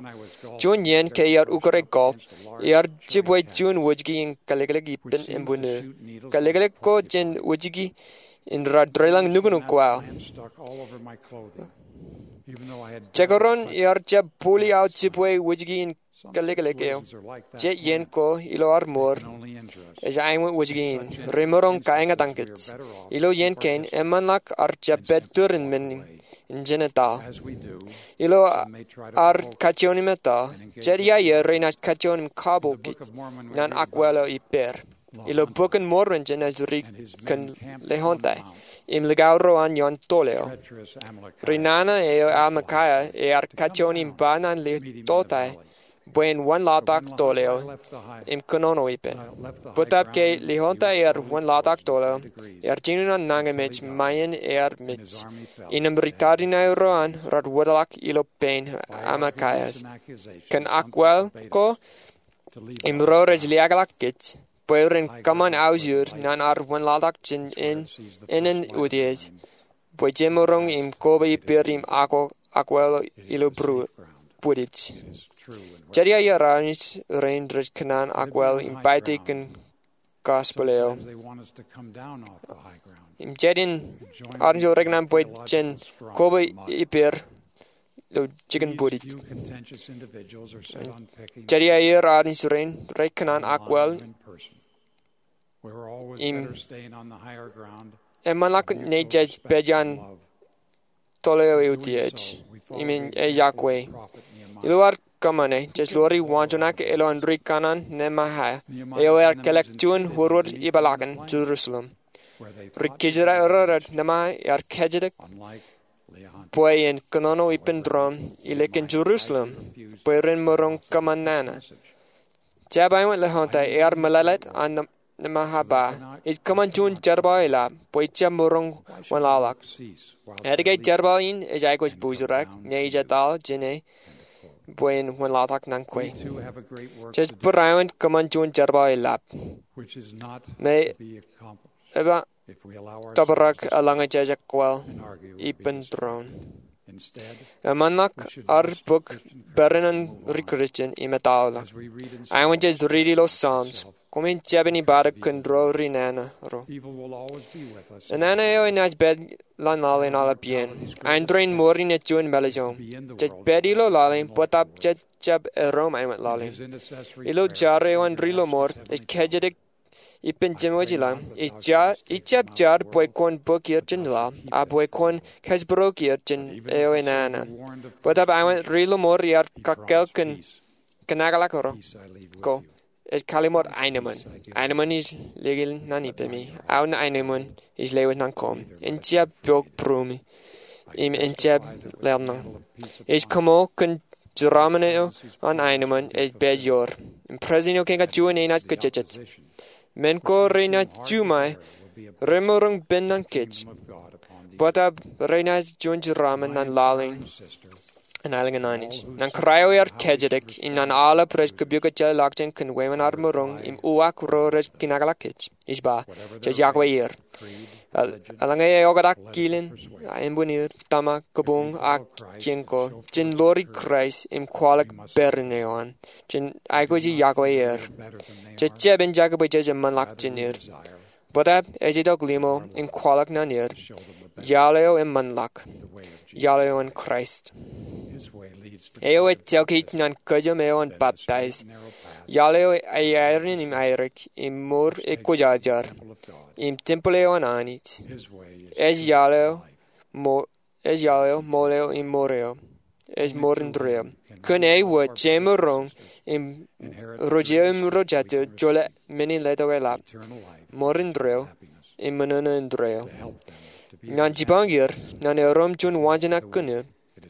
Juon iien ke iar ukōt e golf, iar jibwe juon wōjke in kōlōklōk ippān embuno. Kōlōklōk ko jān wōjke in raar deḷọñ nuknuk ko aō. Jekdọọn iar jab bōli aō jibwe wōjke in kōlōklōk eo. Jet iien ko ilo ad ṃool, ej āinwōt wōjke in. Remaroñ kaeñtaan kōj. Ilo iien kein, eṃṃanḷọk ad jab pād tōre in men in jān etal. Ilo ad kajjioñ im etal, jet iiō renaaj kajjioñ im kapo kōj ñan akwāāl eo ippāer. Ilo Bok in Mormon jān ej ri kōn lehonte im likao ro an ioon tōl eo. Ri nana eo Amalickiah ear kajjioñ im ba ñan lehonte, bwe en wanlaḷtak tōl eo im kōnono ippān. Bōtab ke Lihonta ear wanlaḷtak tōl eo, ear jiṃwe an nañinmej ṃae in ear mej. Innām ri tariṇae ro an rej wōtlọk ilo pein Amakaias kōn akwāāl ko im ro rej liaakḷọk kōj bwe ren kōṃṃan aujir ñan ad wanlaḷtak jān ānen utiej bwe jemaroñ im koba ippāer im akwāāl ilo būrū bwidej. Jedi aer armej rein rej kōṇaan akwāāl im baite kōn gospel eo. Im jedi armej eo rekōṇaan bwe jen koba ippāer ilo jikin bwidej. Jedi aer armej rein rej kōṇaan akwāāl im eṃṃanḷọk ñe jej pād iaan tōl eo eutiej im ej yokwe. Ilo ad kōṃṃane, jej lori waanjoñak ilo an ri kanaan Nehemia eo ear kōḷḷọk juon wōrwōr ipeḷaakin Jerusalem. Ri kōjeraer ro rej Nehemia ear kōjatdikdik bwe en kōnono ippān doon ilo kōn Jerusalem bwe ren maroñ kōṃṃan nana. Jab eo an Lihonta ear mālōtlōt an Nehemia ba, ij kōṃṃan juon jerbal eḷap bwe ij jab maroñ wanlaḷtak. Etke jerbal in ej aikuj bōjrak ñe ij etal jāne bwe en wanlaḷtak ñan kwe? Jej barāinwōt kōṃṃan juon jerbal eḷap me ej ba tōprak eḷaññe jej ekwōḷ ippān doon. Eṃṃanḷọk ad bōk peran an ri Kristian im ettoḷọk. Āinwōt jej riiti ilo Psalms, koṃwin jab ippān kōn ro ri nana ro. Nana eo enaaj pād ḷọk laḷ in aolep iien. Āindein ṃoor in ej juon mālejōṃ. Jej pād ilo laḷ in bōtab jej jab erom āinwōt laḷ in. Ilo jar eo an ri lọmọọr, ej kōjatdikdik ippān jeṃwōj ilaḷ, ij jab jar bwe kwōn bōk er jān laḷ, ak bwe kwōn kōjparok er jān eo enana. Bōtab āinwōt ri lọmọọr ear kakkāāl kōn kōnakḷọk ro ko, ej kallim̧ur aenōṃṃan. Aenōṃṃan ij likūti ñan ippemi. Aō aenōṃṃan ij lewōj ñan koṃ. En jab pok būruemi im en jab leḷọk. Ij kaṃool kōn jeraaṃṃan eo an aenōṃṃan ej pād ioer. Im president eo kein kajjien enaaj kōjejjet. Men ko renaaj juṃae remaroñ pen ñan kōj. Bōtab renaaj juon jeraaṃṃan ñan laḷ in an aelōñ in Anij. Ñan kōrā eo ear kōjatdikdik, im ñan aolep rej kōpukajjeḷọkjeṇ kōn wāween ad maroñ im uwaak ro rej kōnakḷọk kōj, ij ba, jej yokwe er. Eḷaññe eoktak kilen, ānbwinnid, tōmak, kabuñ, ak kien ko, jen lori Kraist im kwaḷọk peran eo an. Jen aikuji yokwe er. Jej jab enjake bwe jej eṃṃanḷọk jān er. Bōtab ej itok limo im kwaḷọk ñan er iaḷ eo eṃṃanḷọk, iaḷ eo an Kraist. Eo ej jokij ñan kōjām eo an baptize. Iaḷ eo ej aerein im aerōk im mour ekwōjarjar im tempeḷ eo an Anij. Ej iaḷ eo mo ej iaḷ eo, ṃool eo, im mour eo. Ej mour indeeo. Kōn e wōt, jemaroñ im ro jeiū im ro jatū joḷọk men in letok eḷap, mour indeeo im ṃōṇōṇō indeeo. Ñan jipañ er ñan erom juon waanjoñak kōn er,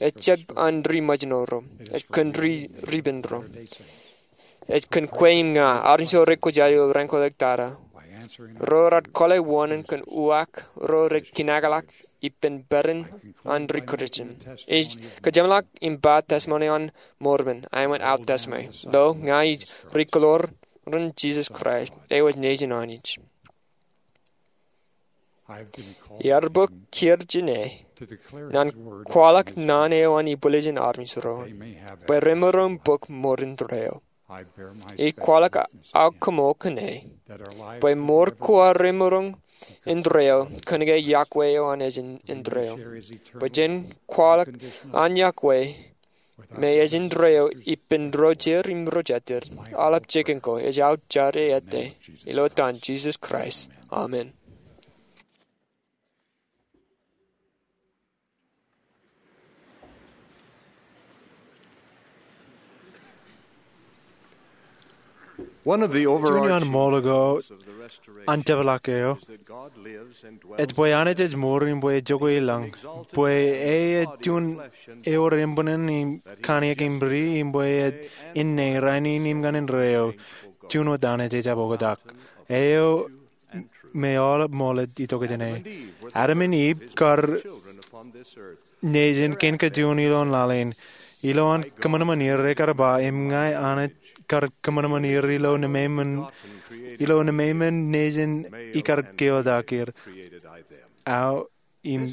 ej jab an ri ṃōjṇọ ro, ej kōn ri ripen ro. Ej kōn kwe im ña, armej ro rej kwōjarjar ilo raan ko ḷọk tata. Ro rej kōḷḷe wōṇāān kōn uwaak ro rej kōnakḷọk ippān peran an ri Kristian. Ij kōjeṃḷọk im ba testimony an Mormon, āinwōt aō testimony. Lo, ña ij ri kōḷoor in Jesus Christ, eo ej Nejin Anij. Ear bōk kiiō jān e ñan kwaḷọk naan eo an ibwiljin armej ro, bwe remaroñ bōk mour indeeo. Ij kwaḷọk aō koṃṃool kōn e, bwe mour ko aō remaroñ indeeo kōnke yokwe eo an ej indeeo. Bwe jen kwaḷọk an yokwe me ej indeeo ippān ro jeid im ro jatid, aolep jikin ko, ej aō jar e ettā. Ilo etan Jesus Christ, amen. Juon ioon ṃool ko an tōplọk eo ej bwe Anij ej mour im bwe ejako i lañ, bwe e ej juon ewōr eṃṃan im kōṇaan im ri, im bwe e ej inne, rainin im ñan indeeo, juon wōt Anij ejjab oktak, eo me aolep ṃool ej itok jāne. Adam im Iv kar nejin kein kajjioñ ilo laḷ in. Ilo an kōṃanṃan er, ekar ba, im ña Anij kar kōṃanṃan er ilo nemeṃṃan, ilo nemeṃṃan nejin ikar keotak er. Aō im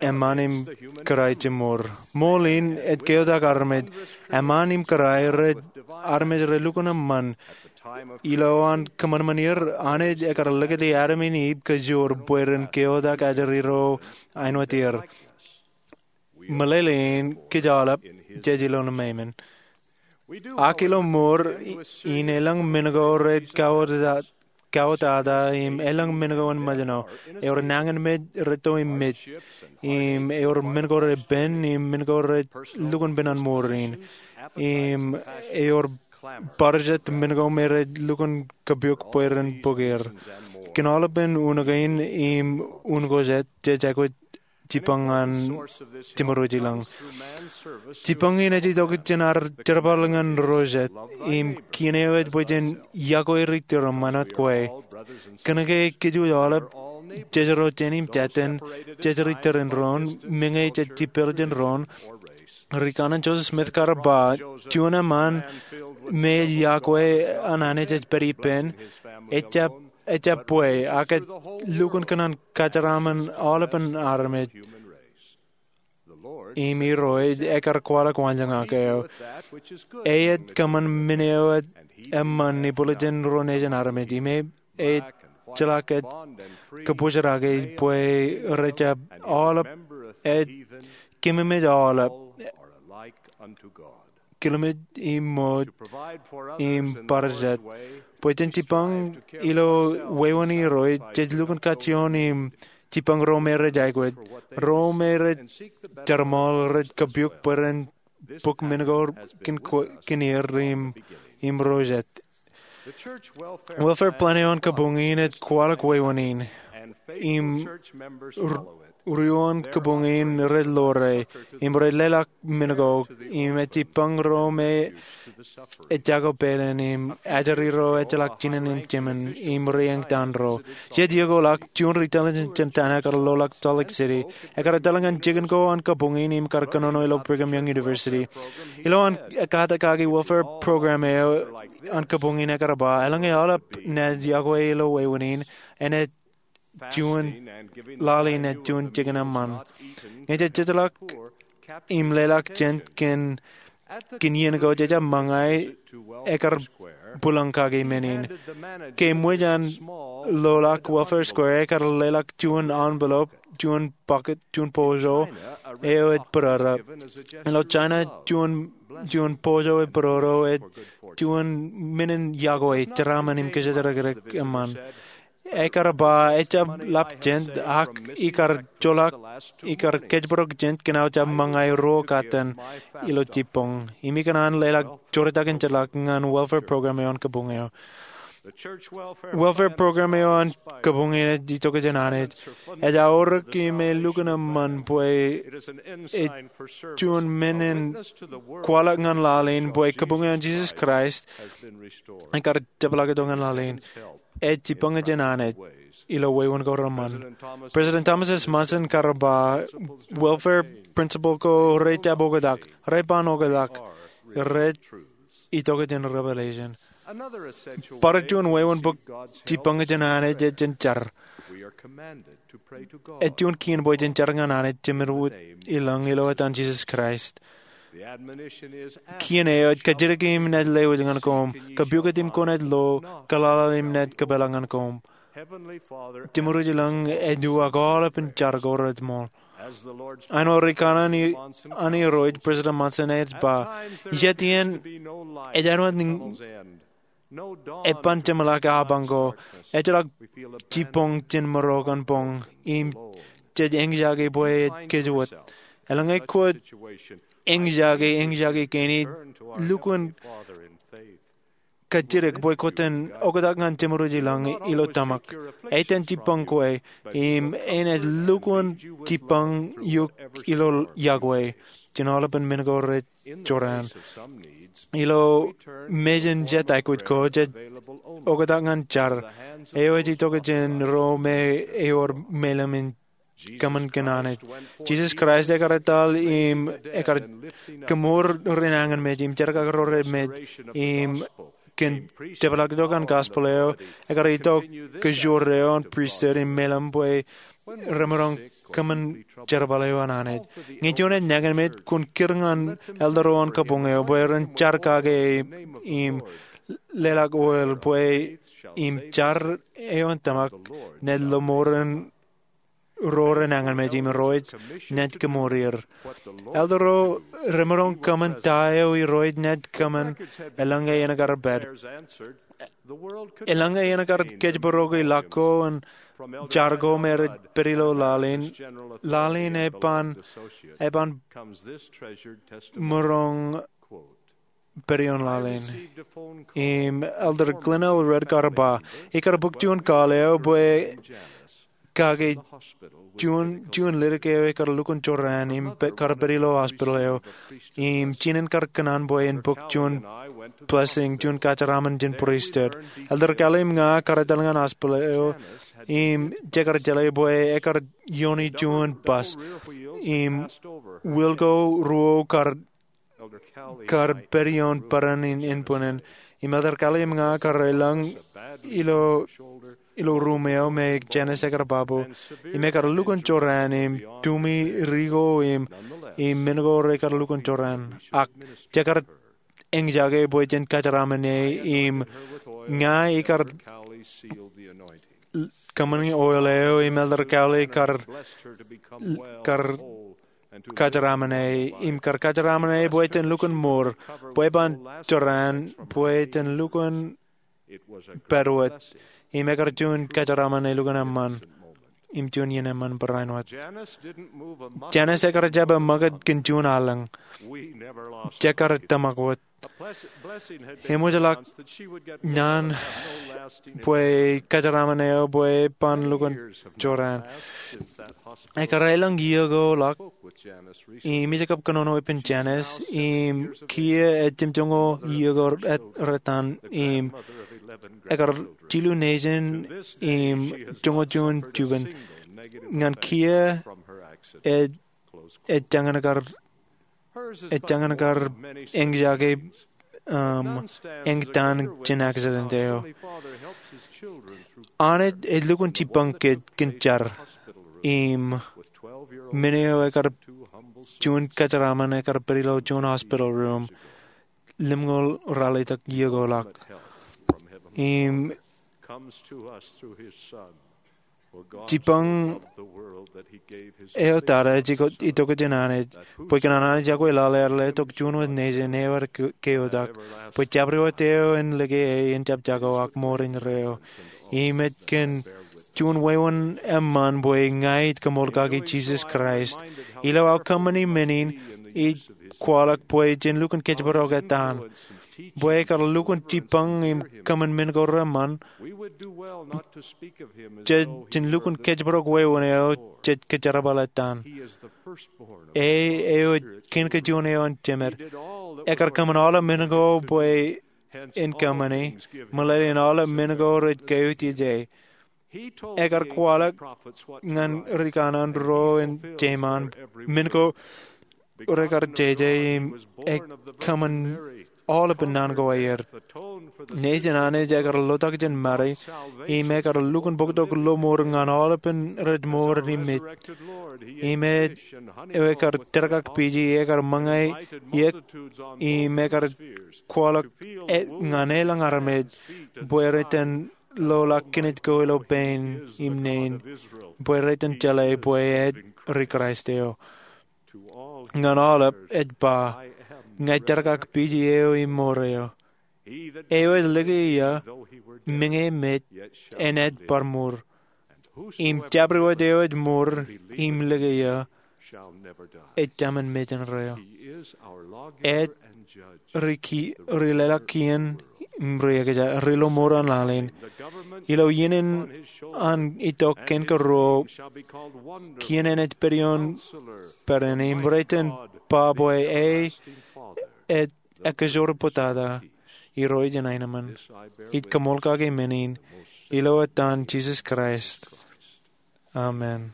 eṃṃan im kōrā ej jab mour. Ṃool in ej keotak armej. Eṃṃan im kōrā rej armej re lukkuun eṃṃan. Ilo an kōṃanṃan er, Anij ekar likūti Adam im Iv kajjoor bwe ren keotak ajri ro āinwōt er. Meḷeḷein kōj aolep jej ilo nemeṃṃan. Ak ilo mour in elōñ men ko rej kautata im elōñ men ko en ṃōjṇọ. Ewōr nañinmej retto im mej. Im ewōr men ko repen im men ko rej lukkuun pen an mour in. Im ewōr barāinwōt men ko me rej lukkuun kapiok bwe ren bōk er. Kōn aolepen unin kein im unin ko jet, jej aikuj jibboñ ñan jimor ilañ. Jibboñ in ej itok jān ad jerbal ñan ro jet, im kien eo ej bwe jen iakwe ri-tōre ṃanit kwe. Kōnke kōj aolep, jej ro jān im jātin, jej ri-tōre in doon, meñe jej jipel jān doon, ri-kanaan Joseph Smith kar ba, juon eṃṃan me ej iakwe an Anij ej pād ippān, ejjab, ejjab bwe, ak ej lukkuun kōṇaan kōjeraaṃṃan aolepen armej. Im Irooj ekar kwaḷọk waanjoñak eo. E ej kōṃṃan men eo ej eṃṃan ibwiljin ro nejin armej. Im e ej jeḷā ke ej kōbōjrak bwe rejjab aolep, ej kememej aolep, kilmej im ṃooj im barāinwōt. Bwe jen jibboñ ilo wāween Irooj, jej lukkuun kajjioñ im jibboñ ro me rej aikuj, ro me rej jerbal, rej kapiok bwe ren bōk men ko kōn kwe-, kōn er im, im ro jet. Welfare plan eo an kabuñ in ej kwaḷọk wāween in. Im ru-, ruo an kabuñ in rej ḷoore, im rej leḷọk men ko, im ej jibboñ ro me ejako pāleen, im ajri ro ejjeḷọk jinen im jemān, im rej eñtaan ro. Jej iokwe ḷọk juon ri-intelligence center eo ekar loḷọk Salt Lake City. Ekar etal ñan jikin ko an kabuñ in im kar kōnono ilo Brigham Young University. Ilo an ekkatak kaki welfare program eo an kabuñ in, ekar ba, eḷaññe aolep naaj iakwe ilo wāween in, enaaj juon laḷ in ej juon jikin eṃṃan. Ñe jej jejeḷọk im leḷọk jent kōn, kōn iien ko jejjab ṃōñā, ekar bwilōñ kaki men in. Ke eṃōj an loḷọk Welfare Square, ekar leḷọk juon envelope, juon bucket, juon poso eo ej bōrōrō. Ilo China, juon, juon poso ej bōrōrō ej juon men in iakwe, jeraaṃṃan im kōjatdikdik eṃṃan. Ekar ba ejjab ḷap jent, ak ikar joḷọk, ikar kōjparok jent kōn aō jab ṃōñā ruo katten ilo jibboñ. Im ikōṇaan leḷọk joortak in jeorḷọk ñan welfare program eo an kabuñ eo. Welfare program eo an kabuñ in ej itok jān Anij. Ej aorōk im elukkuun eṃṃan bwe ej juon men in kwaḷọk ñan laḷ in bwe kabuñ eo an Jesus Christ ekar jepḷaaktok ñan laḷ in. Ej jibboñ jān Anij ilo wāween ko reṃṃan. President Thomas S. Monson kar ba, welfare principle ko rejjab oktak, rej ban oktak, rej itok jān revelation. Bar juon wāween bōk jibboñ jān Anij ej jān jar. Ej juon kien bwe jen jar ñan Anij Jemedwōj ilañ ilo etan Jesus Christ. Kien eo ej kajjitōk im naaj lewōj ñan koṃ, kapiokit im kwōnaaj lo, kalala im naaj kōpeḷḷọk ñan koṃ. Jemedwōj ilañ ej uwaak aolepen jar ko rej ṃool. Āinwōt ri-kanaan an Irooj President Monson ej ba, jet iien ej āinwōt eban jeṃḷọk apañ ko, ejjeḷọk jibboñ jān maro kōn boñ, im jej eñjake bwe ej kōjwōj. Eḷaññe kwōj eñjake, eñjake kein, lukkuun kajjitōk bwe kwōj ten oktak ñan jeṃro ilañ ilo tōmak. Ej ten jibboñ kwe, im enaaj lukkuun jibboñ eok ilo yokwe jān aolepān men ko rej jorrāān. Ilo mejān jet aikuj ko, jej oktak ñan jar eo ej itok jān ro me ewōr meilem in kōṃṃan kōn Anij. Jisōs Kraist ekar etal im ekar kōmour ri nañinmej im jerkakro remej, im kōn jepḷaaktok an gospel eo, ekar itok kōjro eo an pristut im meilem bwe remaroñ kōṃṃan jerbal eo an Anij. Ñe juon ej nañinmej, kwōn kūr ñan elder eo an kabuñ eo bwe ren jar kake im leḷọk oil bwe im jar eo an tōmak naaj lo mour in ro rej nañinmej im Irooj naaj kōmour er. Elder eo remaroñ kōṃṃan ta eo Irooj naaj kōṃṃan eḷaññe en kar pād. Eḷaññe en kar kōjparok ḷọk ko im jar ko me rej pād ilo laḷ in, laḷ in eban, eban maroñ pād ioon laḷ in. Im Elder Glenn L. Redkar ba, ikar bōk juon call eo bwe kake juon, juon ledik eo ekar lukkuun jorrāān im kar pād ilo hospital eo. Im jinen kar kōṇaan bwe en bōk juon blessing, juon kōjeraaṃṃan jān pristut. Elder Cowley im ña kar etal ñan hospital eo, im jekar jeḷā bwe ekar iiooni juon bus, im wheel ko ruo kar kar pād ioon bōran in inpānin. Im Elder Cowley im ña kar elōñ ilo, ilo ruum eo me Janice ekar babu. Im ekar lukkuun jorrāān im tumi ri ko im, im men ko rekar lukkuun jorrāān. Ak jekar eñjake bwe jen kōjeraaṃṃan e im ña ikar kōṃṃani oil eo im Elder Cowley kar, kar kōjeraaṃṃan e, im kar kōjeraaṃṃan e bwe jen lukkuun mour, bwe eban jorrāān, bwe jen lukkuun pād wōt, im ekar juon kōjeraaṃṃan elukkuun eṃṃan, im juon iien eṃṃan barāinwōt. Janice ekar jab eṃṃakūt kōn juon allōñ. Jekar tōmak wōt. Eṃōj ḷọk naan bwe kōjeraaṃṃan eo bwe eban lukkuun jorrāān. Ekar elōñ iiō ko ḷọk, im ij kab kōnono ippān Janice, im kiiō ej jimjuonñoul iiō ko rettan, im ekar jilu nejin, im joñoul juon juon. Ñan kiiō ej, ej jañin kar ej jañin kar eñjake, um, eñtaan jān accident eo. Anij ej lukkuun jibboñ kōj kōn jar. Im men eo ekar juon kōjeraaṃṃan ekar pād ilo juon hospital room, limñoul ralitōk iiō ko ḷọk. Im jibboñ eo tata ej itok jān Anij, bwe kōn an Anij iọkwe laḷ ear letok juon wōt nejin eo ear ke-, keotak, bwe jabdewōt eo en lōke e en jab jako ak mour indeeo. Im ej kōn juon wāween eṃṃan bwe ña ij koṃṃool kaki Jisōs Kraist. Ilo aō kōṃṃani men in, ij kwaḷọk bwe jen lukkuun kōjparok etan. Bwe ekar lukkuun jibboñ im kōṃṃan men ko reṃṃan, jej jen lukkuun kōjparok wāween eo jej kōjerbal etan. E, eo ej kōn kajuon eo an Jemed. Ekar kōṃṃan aolep men ko bwe en kōṃṃani, meḷeḷe in aolep men ko rej kautiej e. Ekar kwaḷọk ñan ri kanaan ro in Teman, men ko rekar jeje im ej kōṃṃan aolepān naan ko aer. Nejin Anij ekar lotak jān Mari, im ekar lukkuun bōktok lo mour ñan aolepān rej mour im mej. Im ej, eo ekar jerkakpeje, ekar ṃōñā iiō, im ekar kwaḷọk e, ñan elōñ armej, bwe rej iten loḷọk kinit ko ilo pein im nein, bwe rej iten jeḷā bwe ej ri Kraist eo. Ñan aolep ej ba, ña ij jerkakpeje eo im mour eo. Eo ej lōke eō, meñe mej, enaaj bar mour. Im jabdewōt eo ej mour, im lōke eō, ej taṃin mej indeeo. Ej ri ki-, ri leḷọk kien im ri-ekeja, ri-lọmọọr an laḷ in. Ilo iien in an itok kōn ke ruo, kien eṇ ej pād ioon pād eṇ, im rej itōn ba bwe e ej ekkejorpotata, irooj in aenōṃṃan. Ij kaṃool kake men in ilo etan Jisōs Kraist. Amen.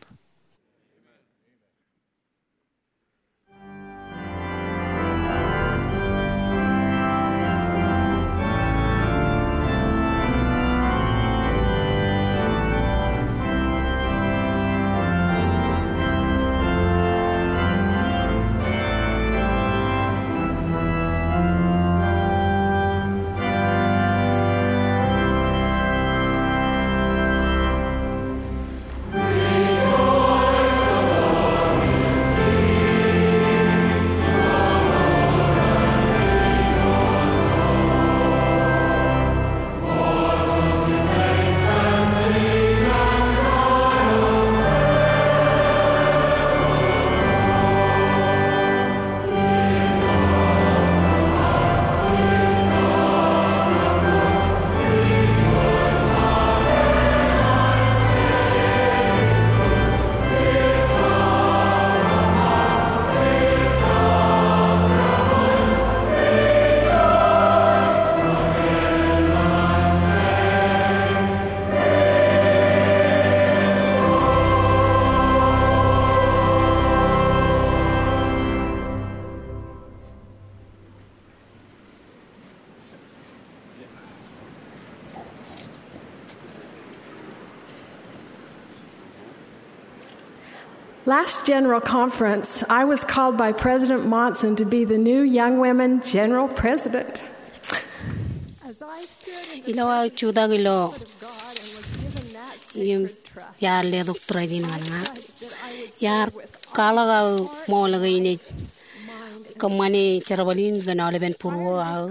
Last General Conference, I was called by President Monson to be the new Young Women General President. Ilo aō jutak ilo im iar letok tōre in ñan ña, iar kwaḷọk aō ṃool kein ej kōṃṃane jerbal in kōn aolepen būruō aō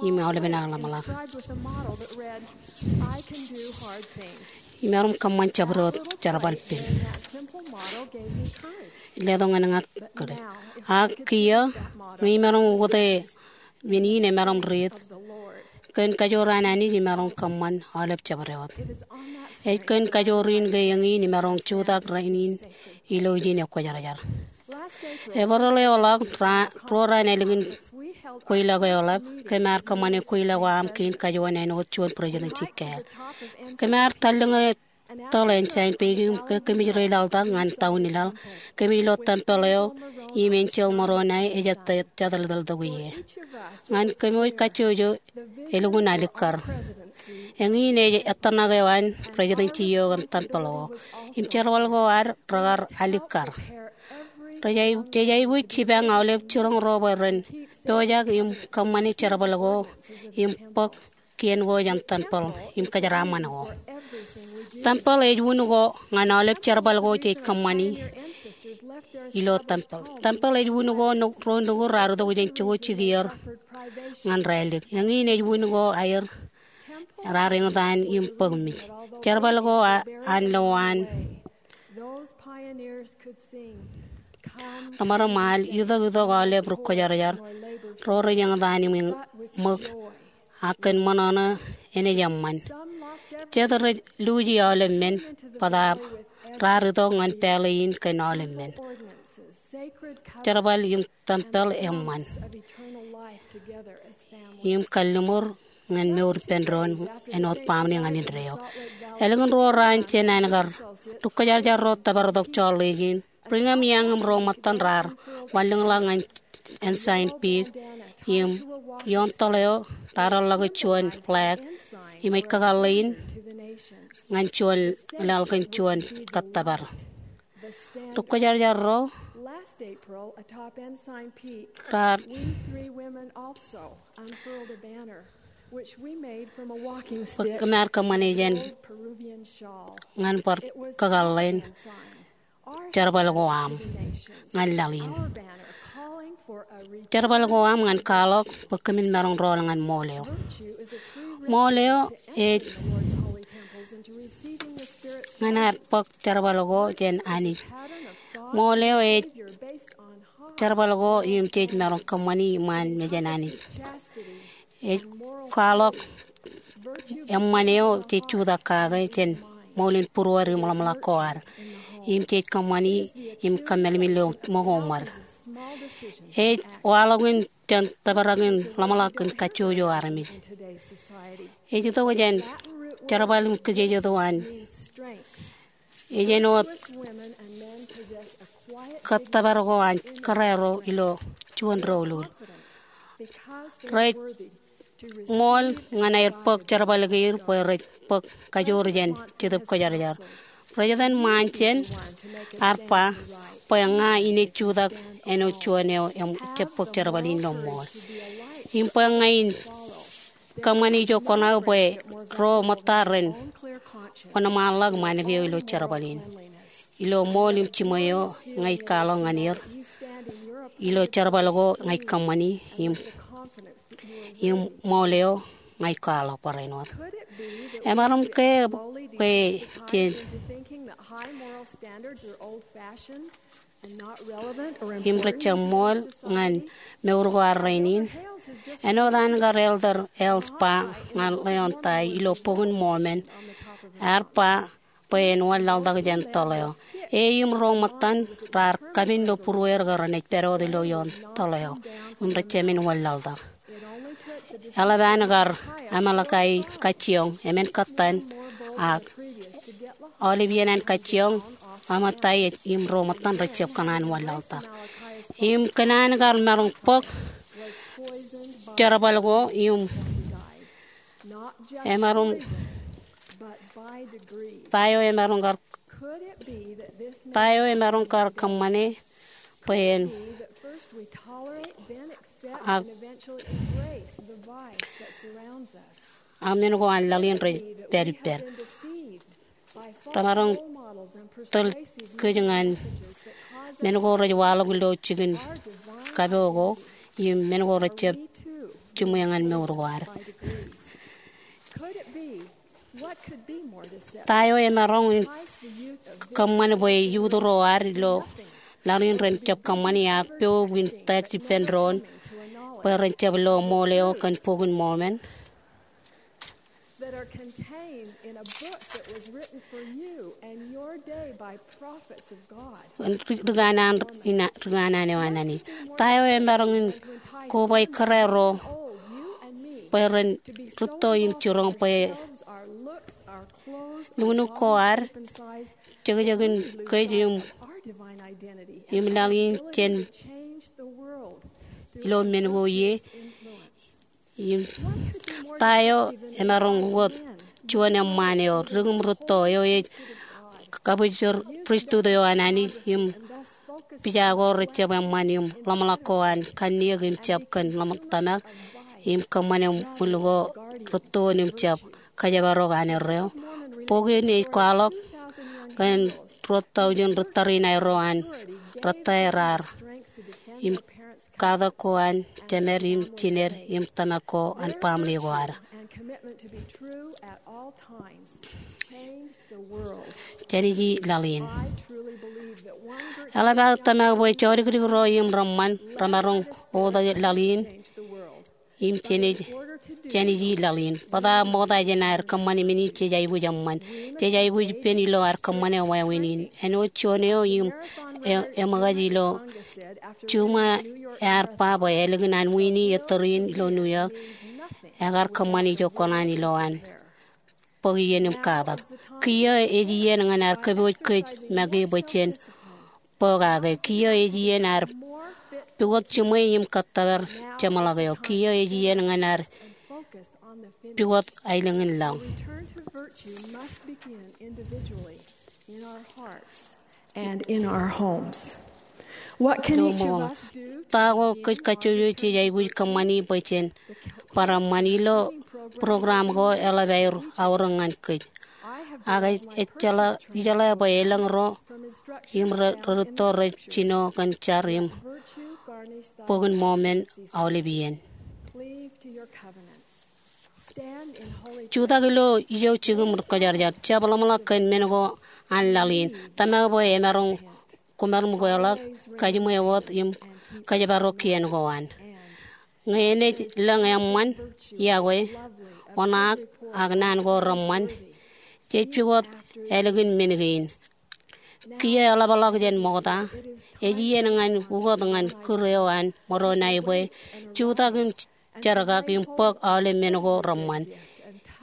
im aolepen aō ḷōmṇak. Imaroñ kōṃṃan jabdewōt jerbal pen. Letok ñan ña kōn, ak kiiō ñe imaroñ ukōte men in emaroñ riit kōn kajoor an Anij, imaroñ kōṃṃan aolep jabdewōt. Ej kōn kajoor in ke eñin imaroñ jutak rainin ilo ijin ekwōjarjar. Eperel eo ḷọk, ruo raan ālikin kweilọk eo ḷap, kōm ar kōṃṃane kweilọk eo aṃ kein kajuon āinwōt juon presidency kāāl. Kōm ar tallōñe tōl Ensign Peak im ke kōmij reilaḷtak ñan taun in laḷ, kōmij lo tempel eo im enjeḷ Moroni ej jatōltōl tok ie. Ñan kōmwōj kajjojo elukkuun alikkar. Eñin ej ettōṇak eo an presidency eo kōn tempel ko im jerbal ko ad rekar alikkar. Rej, jej aikuj jipañ aolep jiroñ ro bwe ren pojak im kōṃṃane jerbal ko im bōk kien ko jān tempel im kōjeraaṃṃan ko. Tempel ej wūn ko ñan aolep jerbal ko jej kōṃṃani ilo tempel. Tempel ej wūn ko ro nukud raar itok jān jokwe jikier ñan raelep. Eñin ej wūn ko aer raar eñtaan im bōk mej. Jerbal ko an lo an ḷōmṇak im al itok itok aolep ri kwōjarjar ro rej eñtaan im ṃōk, ak kōn ṃōṇōṇō enaaj eṃṃan. Jet rej luuji aolep men, bōtaab raar itok ñan pālle in kōn aolep men. Jerbal im tempel eṃṃan im kalliṃur ñan mour ippān doon āinwōt baaṃle ñan indeeo. Ālikin ruo raan jān an kar ri kwōjarjar ro tōpar tok Salt Lake in, Brigham Young im ro ṃōttan raar wanlōñḷọk ñan Ensign Peak im ioon tōl eo raar ḷọk juon flag im ej kakōḷḷe in ñan juon laḷ kōn juon kōttōpar. Ri kwōjarjar ro raar bōk, kōm ar kōṃṃane jān ñan bar kakōḷḷe in jerbal ko aṃ ñan laḷ in. Jerbal ko aṃ ñan kwaḷọk bwe kōmin maroñ rọọl ñan ṃool eo. Ṃool eo ej ñan ad bōk jerbal ko jān Anij. Ṃool eo ej jerbal ko im jej maroñ kōṃṃani iṃaan mejān Anij. Ej kwaḷọk eṃṃan eo jej jutak kake jān ṃool in būruod im ḷōmṇak ko ad. Im jej kōṃṃani im kōmālmi ilo ṃōko ṃōd. Ej waḷọk in jān tōprak in ḷōmṇak in kajjojo armej. Ej itok jān jerbal im kōjejjet eo an ej āinwōt kōttōpar ko an kōrā ro ilo juon doulul. Rej ṃool ñan aer bōk jerbal kein bwe rej bōk kajoor jān Jetōb Kwōjarjar. Rej etan ṃaan jān, ear ba bwe ña in ej jutak āinwōt juon eo ejjab bōk jerbal in ilo ṃool. Im bwe ña in kōṃṃane ijo kōṇaan bwe ro ṃōtta ren wōnṃaanḷọk ṃaan kein ilo jerbal in. Ilo ṃool im jiṃwe eo ña ij kwaḷọk ñan er, ilo jerbal ko ña ij kōṃṃani, im, im ṃool eo ña ij kwaḷọk barāinwōt. Emaroñ ke bwe jen im rejjab ṃool ñan mour ko ad rainin? Āinwōt an kar Elder Hales ba ñan Leon Tie ilo Bok in Mormon, ear ba bwe en wanlaḷtak jān toḷ eo. E im ro ṃōttan raar kapen ilo būrueir ke renaaj pād wōt ilo ioon toḷ eo im rejjab men wanlaḷtak. Eḷap an kar Amalikae kajjioñ, emān kōttan, ak aolep iien an kajjioñ, Amalikae im ro ṃōttan rejjab kōṇaan wanlaḷtak. Im kōn an kar maroñ bōk jerbal ko im emaroñ, ta eo emaroñ kar, ta eo emaroñ kar kōṃṃane bwe en, ak, ak men ko an laḷ in rej pād ippād. Remaroñ tōl kōj ñan men ko rej waḷọk ilo jikin kapo ko, im men ko rejjab jiṃwe ñan mour ko ad. Ta eo emaroñ in kōṃṃan bwe youth ro ad ilo laḷ in ren jab kōṃṃani ak pok in text ippān doon bwe ren jab lo ṃool eo kōn Bok in Mormon? Ri-, ri-, rikōṇaan eo an Anij. Ta eo emaroñ in koba kōrā ro bwe ren rūtto im jiroñ bwe luknuk ko ad, jekjekin kōj im, im laḷ in jān ilo men ko ie. Im ta eo emaroñ ukōt juon eṃṃaan eo dik im rūtto eo ej kabwijpōr pristut eo an Anij im pija ko rejjab eṃṃan im ḷōmṇak ko an kanniōk im jab kōn ḷōmṇak tōmak im kōṃṃane ṃwil ko rūtto in im jab kōjparok an erreo. Bok in ej kwaḷọk kōn ruo taujin ri-tariṇae ro an rōtaer raar im katak ko an jemed im jined im tōmak ko an baaṃle ko ad. Jān ij laḷ in. Eḷap aō tōmak bwe jodikdik ro im reṃṃan remaroñ oktak laḷ in im jān ij, jān ij laḷ in. Bōtab ṃokta jān aer kōṃṃane men in jej aikuj eṃṃan. Jej aikuj ippān ilo ad kōṃṃane wāween in. Āinwōt juon eo im e-, eṃōkaj ilo juṃae ear ba bwe ālikin an Winnie ettōr in ilo New York, ekar kōṃṃane ijo kōṇaan ilo an bōk iien im katak. Kiiō ej iien ñan ad kōpooj kōj make bwe jen bōk kake. Kiiō ej iien ad pukot jiṃwe im kōttōpar jeṃḷọk eo. Kiiō ej iien ñan ad pukot aelōñ in laḷ. And in our homes. What can each of us do? Ta ko kōj kajjojo jej aikuj kōṃṃani bwe jen bar eṃṃan? Ilo program ko eḷap aer aorōk ñan kōj. Ak ej, ej jeḷā, ijeḷā bwe elōñ ro im re, rerūtto rej jino kōn jar im Bok in Mormon aolep iien. Jutak ilo ijo jikin ri-kwōjarjar. Jab ḷōmṇak kōn men ko an laḷ in. Tōmak bwe emaroñ kwōmaroñ meḷeḷe, kajiṃwe wōt im kōjparok kien ko an. Ñe enaaj lōñ eṃṃan, iọkwe, oṇaak, ak naan ko reṃṃan, jej pukot ālikin men kein. Kiiō eḷapḷọk jān ṃokta, ej iien ñan ukot ñan kūr eo an ṃōro ṇae bwe jutak im jerkak im bōk aolep men ko reṃṃan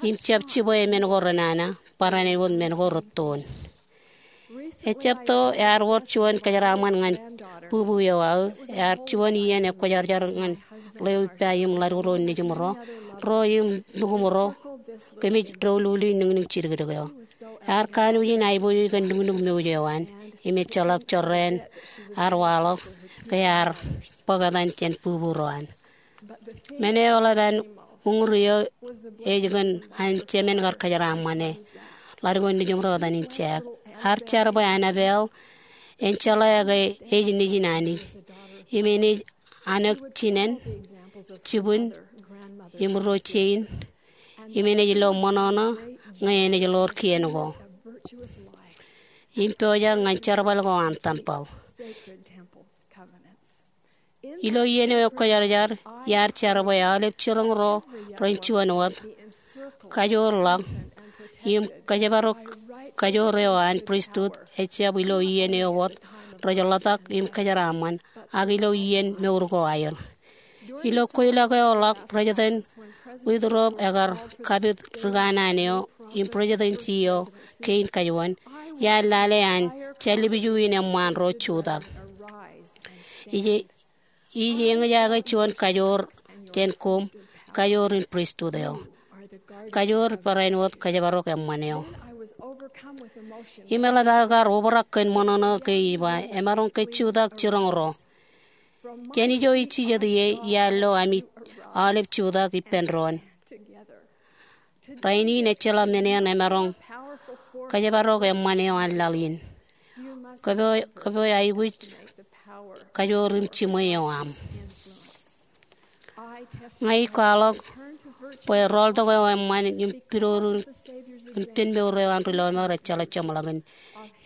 im jab jibwe men ko renana barāinwōt men ko rūttoon. Ejjab to ear wōr juon kōjeraaṃṃan ñan bubu eo aō. Ear juon iien ekwōjarjar ñan ḷeo ippa im ḷaddik ro nejimro, ro im nukumro, kōmij doululi niñniñ jidikdik eo. Ear kanooj in aiboojoj kōn nuknuk mouj eo an im ejjeḷọk jorrāān ear waḷọk ke ear bōk etan jān bubu ro an. Men eo eḷap an uñūr eō ej kōn an jemān kar kōjeraaṃṃane. Ḷaddik eo nejimro etan in Jack. Ear jar bwe Annabelle en jeḷā ke ej nejin Anij im enaaj anōk jinen, jibwin, im ro jein, im enaaj lo ṃōṇōṇō ñe enaaj ḷoor kien ko im pojak ñan jerbal ko an tempel. Ilo iien eo ekwōjarjar, iar jar bwe aolep jiroñ ro ren juon wōt kajoor ḷọk im kōjparok kajoor eo an pristut ejjab ilo iien eo wōt rej ḷotak im kōjeraaṃṃan, ak ilo iien mour ko aer. Ilo kweilọk eo ḷọk, President Woodruff ekar kapit ri kanaan eo im presidency eo kein kajuon, iar lale an jallepju in eṃṃaan ro jutak. Ij, ij eñjake juon kajoor jān koṃ, kajoor in pristut eo. Kajoor barāinwōt kōjparok eṃṃan eo. Im eḷap aō kar obrak kōn ṃōṇōṇō ke ij ba, emaroñ ke jutak jiroñ ro. Jān ijo ij jijet ie, iar lo ami aolep jutak ippān doon. Rainin ejjeḷọk men eṇ emaroñ kōjparok eṃṃan eo an laḷ in. Kōpooj, kōpooj aikuj kajoor im jiṃwe eo aṃ. Ña ij kwaḷọk bwe rọọltok eo eṃṃan im pidodo in pen mour eo an ri lọmọọr ejjeḷọk jeṃḷọkin.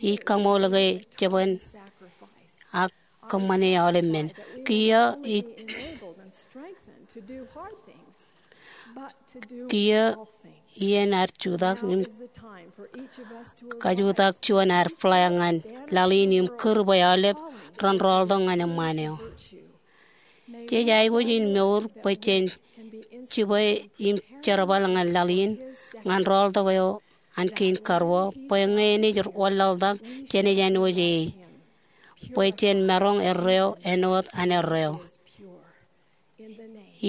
Ij kaṃool ke jebwāān ak kōṃṃane aolep men. Kiiō ij, kiiō iien ad jutak im kajutak juon ad flag ñan laḷ in im kūr bwe aolep ren rọọltok ñan eṃṃaan eo. Jej aikuj in mour bwe jen jibwe im jerbal ñan laḷ in ñan rọọltok eo an kein karuo, bwe ñe enaaj wanlaḷtak jenaaj āinwōj e, bwe jen maroñ erreo āinwōt an erreo.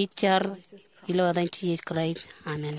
Ij jar ilo etan Jisōs Kraist, amen.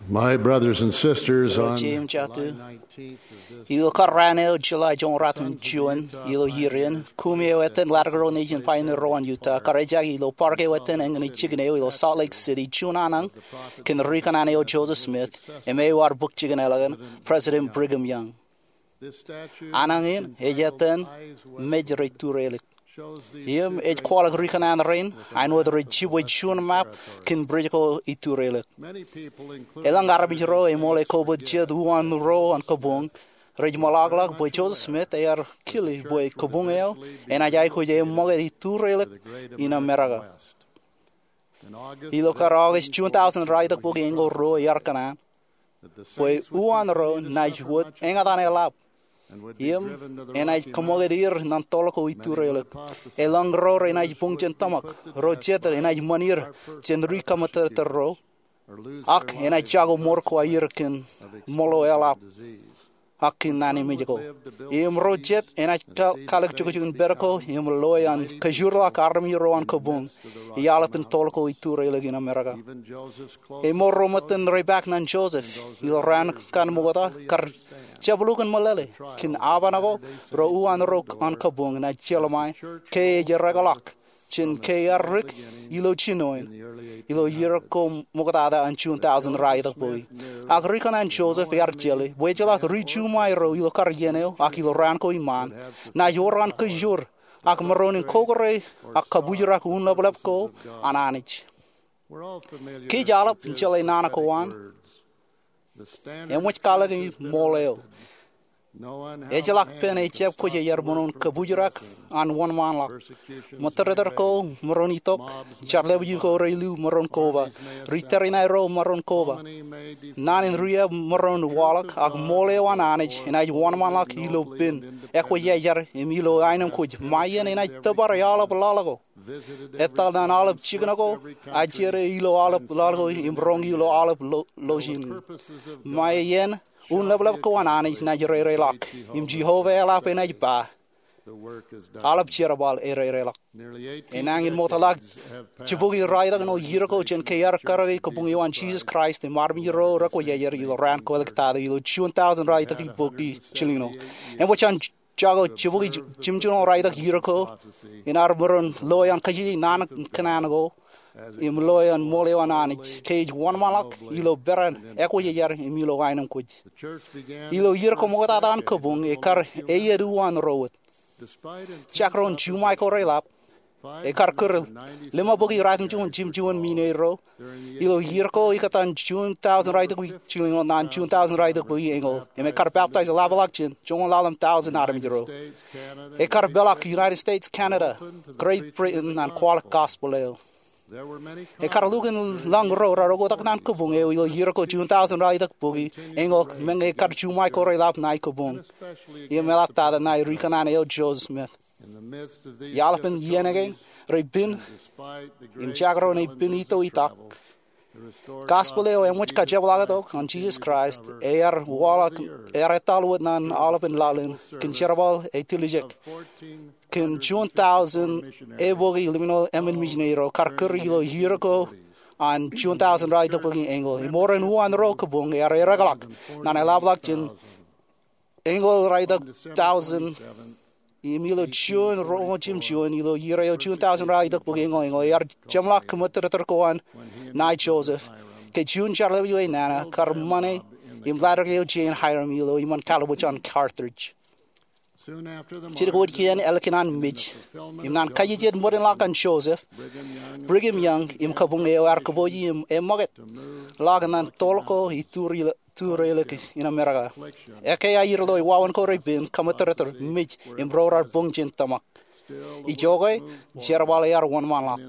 My brothers and sisters, on Jeiū im jatū, ilo kar raan eo July joñoul ruatimjuon ilo iien, kumi eo etan Ladder Road Nation Pioneer ro an Utah kar ejjake ilo park eo etan eñin jikin eo ilo Salt Lake City juon anōñ kōn ri kōṇaan eo Joseph Smith im eo ear bōk jikin eḷap an President Brigham Young. Anōñ in ej etan mej rej turelōk im ej kwaḷọk ri kōṇaan rein āinwōt rej jibwe juon map kōn bwij ko itureḷọk. Elōñ armej ro eṃool ekobot jet uwaan ro an kabuñ rej ṃōḷaḷḷọk bwe Joseph Smith ear kile bwe kabuñ eo enaaj aikuj eṃṃakūt itureḷọk in Amerika. Ilo kar August juon taujin raelōñ ruo ear kōṇaan bwe uwaan ro naaj wōt eñtaan eḷap im enaaj kōṃṃakūt er ñan toḷ ko itureḷọk. Elōñ ro renaaj buñ jān tōmak, ro jet enaaj ṃan er jān ri kaṃōttōttōr ro, ak enaaj jako ṃor ko aer kōn ṃōḷo eḷap ak kōn naan emej ko. Im ro jet enaaj kalōk jukjuk in pād ko im loe an kajoorḷọk armej ro an kabuñ, iaḷap in toḷ ko itureḷọk in Amerika. Eṃool ro ṃōttan rej paak ñan Joseph ilo raan kaṇ ṃokta kar jab lukkuun meḷeḷe kōn aban ko ro uwaan ro an kabuñ naaj jelṃae ke ej ereḷọk jān ke ear rik ilo jinoin ilo iien ko ṃoktata an juon taujin raelōñ bōki. Ak ri kōṇaan Joseph ear jeḷā bwe ejjeḷọk ri juṃae ro ilo kar iien eo ak ilo raan ko iṃaan naaj wōr an kajoor ak maroñ in kọkkure ak kabujrak unlōblōb ko an Anij. Kōj aolep jeḷā naan ko an eṃōj kwaḷọk e ṃool eo. Ejjeḷọk pen ejab kwōj iar maroñ kabujrak an wōnṃaanḷọk. Ṃōttōttōr ko maroñ itok, jar lepin ko rej lu maroñ koba, ri tōre in aerro maroñ koba. Naan in riab maroñ waḷọk ak ṃool eo an Anij enaaj wōnṃaanḷọk ilo pen ekwōjarjar im ilo aenōṃ kwōj ṃae iien enaaj tōpar aolep laḷ ko. Etal ñan aolep jikin ko, ajere ilo aolep laḷ ko im roñ ilo aolep lo- lojin. Ṃae iien unlōblōb ko an Anij naaj reireḷọk im Jeova eḷap enaaj ba, aolep jerbal ereireḷọk. Enañin ṃokta ḷọk jibukwi raelōñ ṇe iien ko jān ke ear karōke kabuñ eo an Jesus Christ im armej ro rekwōjarjar ilo raan ko ḷọk tata ilo juon taujin raelōñ bōki jilñuul. Eṃōj an jako jibukwi jimjuon raelōñ iien ko in ar maroñ loe an kajjitōk naan kōṇaan ko im loe an ṃool eo an Anij ke ej wōnṃaanḷọk ilo peran ekwōjarjar im ilo aenōṃ kwōj. Ilo iien ko ṃoktata an kabuñ ekar eiiet uwaan ro wōt. Jekdọọn juṃae ko reḷap, ekar kūr lima bōki ratimjuon jimjuon misineri ro ilo iien ko ikōtaan juon taujin raelōñ bōki jilñuul ñan juon taujin raelōñ bōki eñoul im ekar peptaij ḷapḷọk jān joñoul ḷalem taujin armej ro. Ekar peḷọk United States, Canada, Great Britain ñan kwaḷọk gospel eo. Ekar lukkuun lañ ro raar oktak ñan kabuñ eo ilo iien ko juon taujin raelōñ bōki eñoul meñe ekar juṃae ko reḷap ṇae kabuñ im eḷaptata ṇae ri kōṇaan eo Joseph Smith. Iaḷpen iien kein rej pen im jekdọọn ej pen ito itak, gospel eo eṃōj kajepḷaaktok an Jesus Christ ear waḷọk, ear etal wōt ñan aolepān laḷ in kōn jerbal ej tiljek. Kōn juon taujin eoon bōki lemñoul emān misineri ro kar kūr ilo iien ko an juon taujin raelōñ bōki eñoul. Im ṃool eo uwaan ro kabuñ ear ereḷọk ñan eḷapḷọk jān eñoul raelōñ taujin. Im ilo juon roñoul jimjuon ilo iien eo juon taujin raelōñ bōki eñoul eñoul ear jeṃḷọk kōṃṃootōttōr ko an ṇae Joseph ke juon jar lepin eo nana kar ṃane im laddik eo Jane Hyrum ilo iṃaan kallib eo an Carthage. Jidik wōt kien ālikin an mej im ñan kajejjet ṃōdenḷọk an Joseph, Brigham Young im kabuñ eo ear kōpooje im eṃṃakūt ḷọk ñan toḷ ko iturelōk in Amerika. Ekkā aer ilo wāween ko rej pen kōṃṃootōttōr mej im ro raar buñ jān tōmak. Ijoke jerbal ear wōnṃaanḷọk.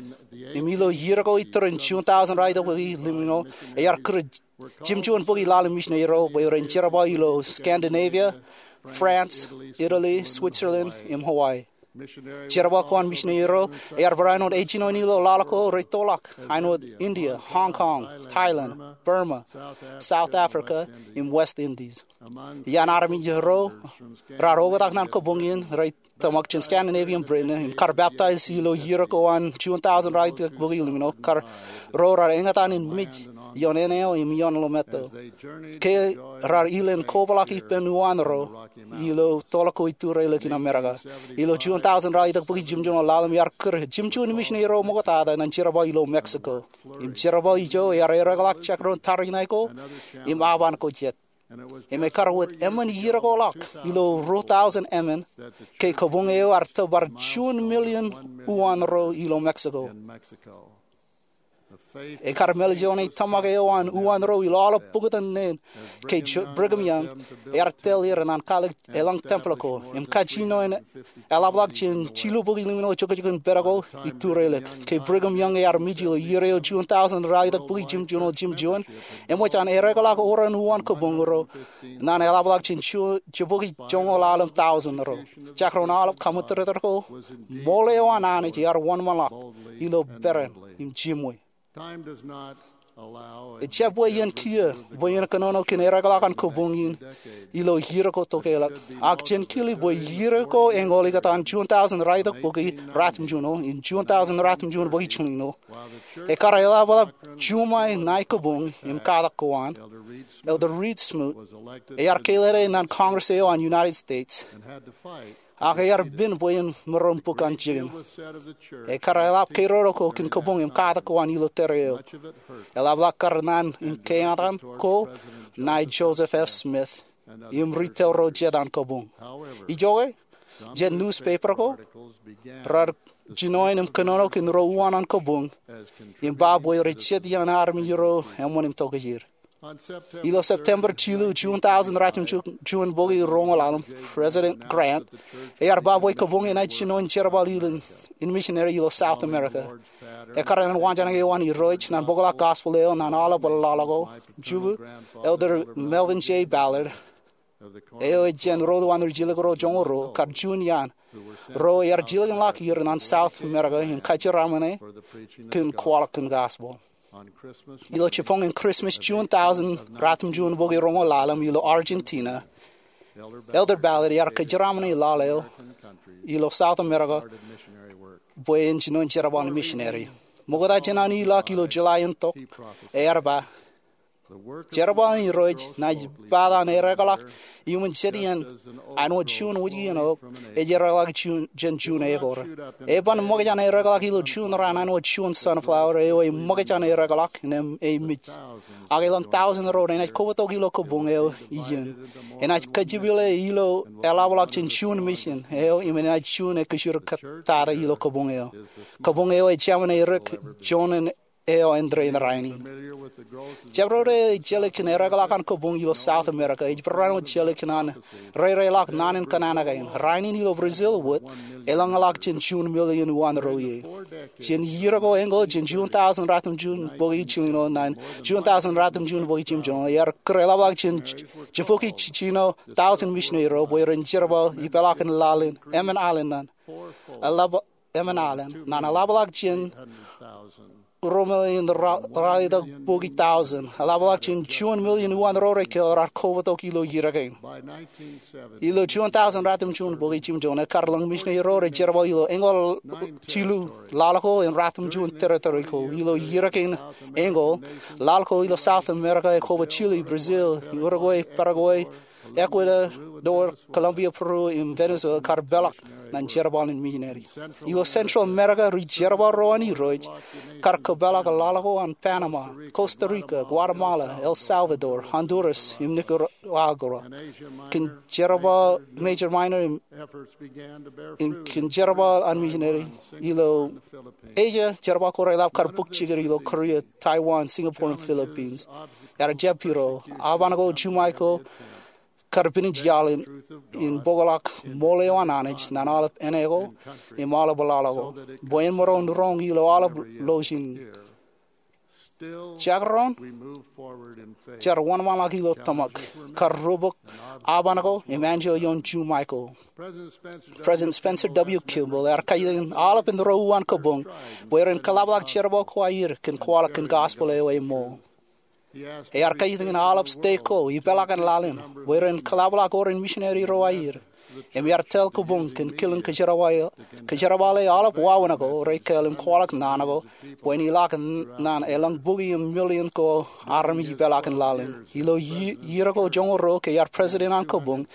Im ilo iien ko itūrin juon taujin raelōñ bōki lemñoul ear kūr jimjuon bōki laḷ in misineri ro bwe ren jerbal ilo Scandinavia, France, Italy, Switzerland im Hawaii. Jerbal ko an misineri ro ear barāinwōt ejjino ilo laḷ ko rej toḷọk āinwōt India, Hong Kong, Thailand, Burma, South Africa im West Indies. Iaan armej ro raar oktak ñan kabuñ in rej tōmak jān Scandinavia im Britain im kar peptaij ilo iien ko an juon taujin raelōñ bōki lemñoul kar ro raar eñtaan in mej ioon āne eo im ioon ḷōmātto, ke rar ilen kobrak ippān uwaan ro ilo toḷ ko Iturielōk in Amerika. Ilo June tọujin raelōñ itok bōki jimjuon ḷalem, iar kūr jimjuon misineri ro ṃoktata ñan jerbal ilo Mexico. Im jerbal ijo ear ereḷọk jekdọọn tariṇae ko im aban ko jet. Im ekar wōt eṃṃan iirekoḷọk ilo ruo tọujin emān ke kabuñ eo ear tōpar juon million uwaan ro ilo Mexico. Ekar māljeḷ ṇe tōmak eo an uwaan ro ilo aolep bōktan neen ke Brigham Young ear tōl er ñan kwaḷọk eḷaññe tempel ko im kajinoin eḷapḷọk jān jilu bōki ḷimno jokjokin pād ko Iturielōk. Ke Brigham Young ear mej ilo iiō eo June tọujin raelōñ itok bōki jimjuon ḷalem jimjuon, eṃōj an ereḷọk oran uwaan kabuñ ro ñan eḷapḷọk jān jibukwi joñoul ḷalem tọujin ro. Jekdọọn aolep kaṃōttōrtōr ko, ṃool eo an Anij ear wōnṃaanḷọk ilo peran im jimwe. Ejjab bwe iien kiiō bwe en kōnono kōn ereḷọk an kabuñ in ilo iiō ko tokālik, ak jen kile bwe iiō ko eñoul ikōtaan June tọujin raelōñ itok bōki ratimjuon im June tọujin ratimjuon bōki jilñuul, ekkar eḷapḷọk juṃae ṇae kabuñ im katak ko an, Elder Reed Smoot ear kōḷḷāḷḷaḷ ñan Congress eo an United States, ak ear pen bwe en maroñ bōk an jikin. Ekkar eḷap keroro ko kōn kabuñ im katak ko an ilo tōre eo. Eḷapḷọk kar naan in keañtan ko ṇae Joseph F. Smith im ri tōl ro jet an kabuñ. Ijoke, jet newspaper ko rar jinoin im kōnono kōn ro uwaan an kabuñ im ba bwe rej jet iaan armej ro eṃṃan im tokjāer. Ilo September jilu, June tọujin ratimjuon bōki roñoul ḷalem, President Grant ear ba bwe kabuñ enaaj jinoin jerbal in misineri ilo South America. Ekkar ñan waanjoñak eo an Irooj ñan bōkḷọk gospel eo ñan aolep ḷaḷ ko, jibwe Elder Melvin J. Ballard, eo ej jān Ro Ḷọk Ḷalem Rijjelōk ro joñoul ruo, kar juon iaan ro ear jilkinḷọk er ñan South America im kajeraṃōne kōn kwaḷọk kōn gospel. Ilo jibboñin Christmas, June tọujin ratimjuon bōki roñoul ḷalem, ilo Argentina, Elder Ballard ear kajeraṃōne laḷ eo ilo South America bwe en jinoin jerbal in misineri. Ṃokta jān an ilọk ilo July in tok, ear ba, jerbal in Irooj ṇae ej pād an ereḷọk iuṃwin jet iien āinwōt juon wōj iien eok ej ereḷọk jān juon ekor. Eban ṃōkaj an ereḷọk ilo juon raan āinwōt juon sunflower eo eṃōkaj an ereḷọk innem ej mej. Ak elōñ tọujin ro renaaj kobatok ilo kabuñ eo iien. Enaaj kajepile ilo eḷapḷọk jān juon mission eo im enaaj juon ekkejirkatata ilo kabuñ eo. Kabuñ eo ej jāmin erik juon eo āindein rainin. Jabdewōt eo ejjeḷọk kōn ereḷọk an kabuñ ilo South America ej barāinwōt jeḷọk kōn an rereḷọk naan in kōṇaan kein. Rainin ilo Brazil wōt elōñḷọk jān juon million uwaan ro ie. Jān iiō ko eñoul jān juon tọujin ratimjuon bōki jilñuul ṇae juon tọujin ratimjuon bōki jimjuon, ear kūr eḷapḷọk jān jibukwi jiljino tọujin misineri ro bwe ren jerbal ipeḷaakin laḷ in emān alen ṇan eḷap emān alen ṇan eḷapḷọk jān ruo million raelōñ itok bōki tọujin, eḷapḷọk jān juon million uwaan ro rej kōḷ raar kobatok ilo iiō kein. Ilo juon tọujin ratimjuon bōki jimjuon, ekkar lōñ misineri ro rej jerbal ilo eñoul jilu laḷ ko im ratimjuon territory ko. Ilo iiō kein eñoul, laḷ ko ilo South America ekobot Chile, Brazil, Uruguay, Paraguay, Ecuador, Colombia, Peru im Venezuela kar peḷọk ñan jerbal in misineri. Ilo Central America, ri-jerbal ro an Irooj kar kōpeḷḷọk laḷ ko an Panama, Costa Rica, Guatemala, El Salvador, Honduras im Nicaragua. Kōn jerbal major, minor im kōn jerbal an misineri ilo Asia, jerbal ko reḷap kar bōk jikin ilo Korea, Taiwan, Singapore im Philippines. Ear jab piro, aban ko juṃae ko kar pininj iaḷ in bōkḷọk ṃool eo an Anij ñan aolep āne ko im aolep laḷ ko bwe en maroñ roñ ilo aolep lọjilñier. Jekdọọn, jar wōnṃaanḷọk ilo tōmak, kar rubok aban ko im anjọ ioon juṃae ko. President Spencer W. Kimball ear kajjitōk in aolepān ro uwaan kabuñ bwe ren kōḷapḷọk jerbal ko aer kōn kwaḷọk kōn gospel eo eṃṃool. Ear kajjitōk in aolep stek ko ipeḷaakin laḷ in bwe ren kōḷapḷọk oran misineri ro aer. im iar tōl kōbuñ kōn kilin kōjerbale aolep wāween ko rekāāl im kwaḷọk naan ko bwe en ilọk naan elōñ bukwi im milion ko armej ipeḷaakin laḷ in. Ilo iiō ko joñoul ruo ke iar president an kōbuñ,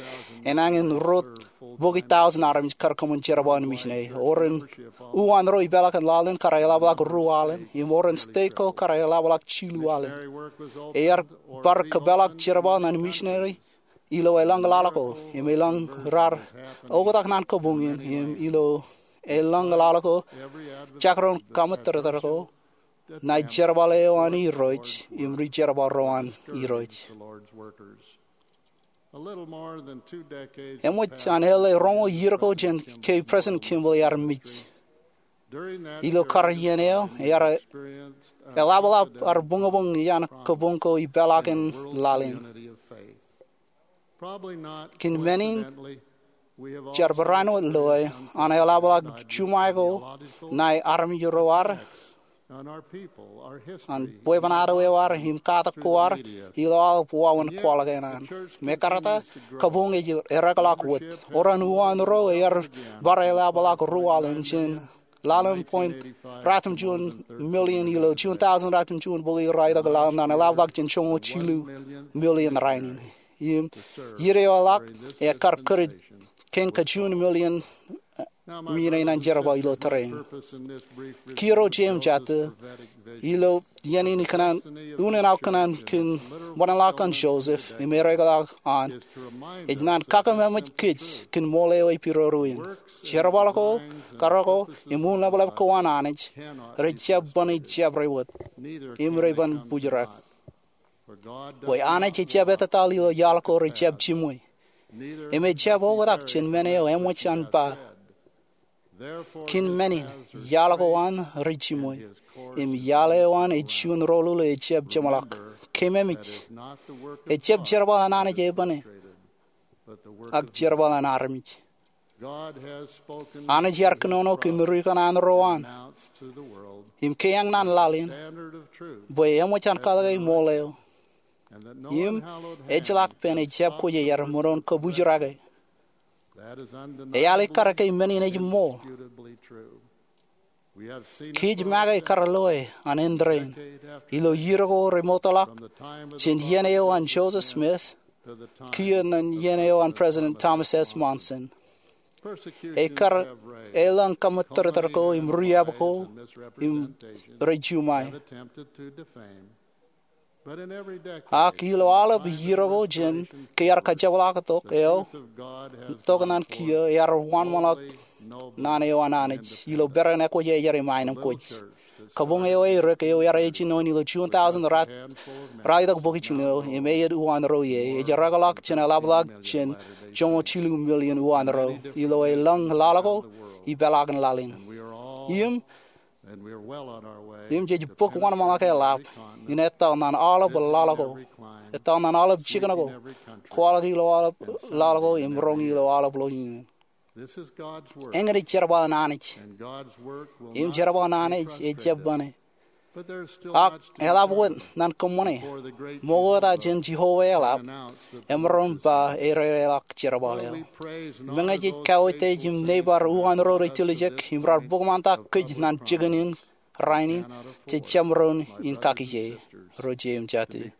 enañin ruo bukwi tọujin armej kar kōṃṃan jerbal in mejān. Ewōr uwaan ro ipeḷaakin laḷ in kar eḷapḷọk ruo alen, im ewōr state ko kar eḷapḷọk jilu alen. Iar bar kōpeḷḷọk jerbal ñan mejān ilo elōñ laḷ ko im elōñ raar oktak naan kōbuñ in, im ilo elōñ laḷ ko, jekdọọn kaṃōttōrtōr ko ṇae jerbal eo an Irooj im rijerbal ro an Irooj. Eṃōj an L A roñoul iiō ko jān ke President Kimball ear mej. Ilo kar iien eo ear eḷapḷọk ad buñbuñ iaan kōbuñ ko ipeḷaakin laḷ in. Kōn men in, jar barāinwōt loe an eḷapḷọk juṃae ko ṇae armej ro ad, an bwebwenato eo ad im katak ko ad ilo aolep wāween kwaḷọk eṇ an. Mekarta, kōbuñ ej ereokḷọk wōt. Ewōr uwaan ro ear bar eḷapḷọk ruo alen jān ḷalem point ratimjuon million ilo juon tọujin ratimjuon bukwi ro itok ḷalem ñan eḷapḷọk jān joñoul jilu million rainin. Im iien eo eḷak, ekar kūr kein kajuon million men in an jerbal ilo tōre in. Kiiō ro jeiū im jatū, ilo iien in ikōṇaan, unin aō kōṇaan kōn ṃōṇōṇō ḷọk an Joseph im ereokḷọk an, ej naan kakememej kōj kōn ṃool eo epidodo in. Jerbal ko, kar ko, im unin ḷapḷap ko an Anij rejjab bōne jabdewōt, im rej ban bōjrak. Bwe Anij ejjab etataḷ ilo iaḷ ko rejjab jiṃwe, im ejjab oktak jān men eo eṃōj an ba. Kōn men in, iaḷ ko an rej jiṃwe, im iaḷ eo an ej juon rōḷuḷ ejjab jeṃḷọk. Keememej, ejjab jerbal an Anij ebōne, ak jerbal an armej. Anij ear kōnono kōn ri kanaan ro an im keeañ ñan laḷ in bwe eṃōj an kaḷke ṃool eo, im ejjeḷọk pen ejjab kwejeir ṃōṇōṇō kōbōjrak e. Ealikkar ke men in ej ṃool. Kōj make kar loe an indein, ilo iiō ko remootḷọk, jān iien eo an Joseph Smith kiiō ñan iien eo an President Thomas S. Monson, ekkar elōñ kaṃōttōrtōr ko im riab ko im rej juṃae. Ak ilo aolep iiō ko jān ke ear kajepḷaaktok eo, tok ñan kiiō, ear wōnṃaanḷọk naan eo an Anij ilo peran ekwōjarjar im aenōṃ kwōj. Kōbuñ eo eirōk eo ear ej ijin eo ilo juon tọujin raelōñ bukwi jilu im eiet uwaan ro ie, ej ereokḷọk jān eḷapḷọk jān joñoul jilu million uwaan ro ilo elōñ laḷ ko ipeḷaakin laḷ in. Im im jej bōk wōnṃaanḷọk eḷap in etal ñan aolep laḷ ko, etal ñan aolep jikin ko, kwaḷọk ilo aolep laḷ ko im roñ ilo aolep ḷọk iien. Eñin ej jerbal an Anij, im jerbal an Anij ejjab bōne. Ak eḷap wōt ñan kōṃṃane, ṃokta jān Jeova eḷap emaroñ ba ereoḷọk jerbal eo. Meñe jej kautiej im neighbor uwaan ro rej tiljek im raar bōk ṃaantak kōj ñan jikin in rainin, jej jab maroñ in kakije, ro jeiū im jatū.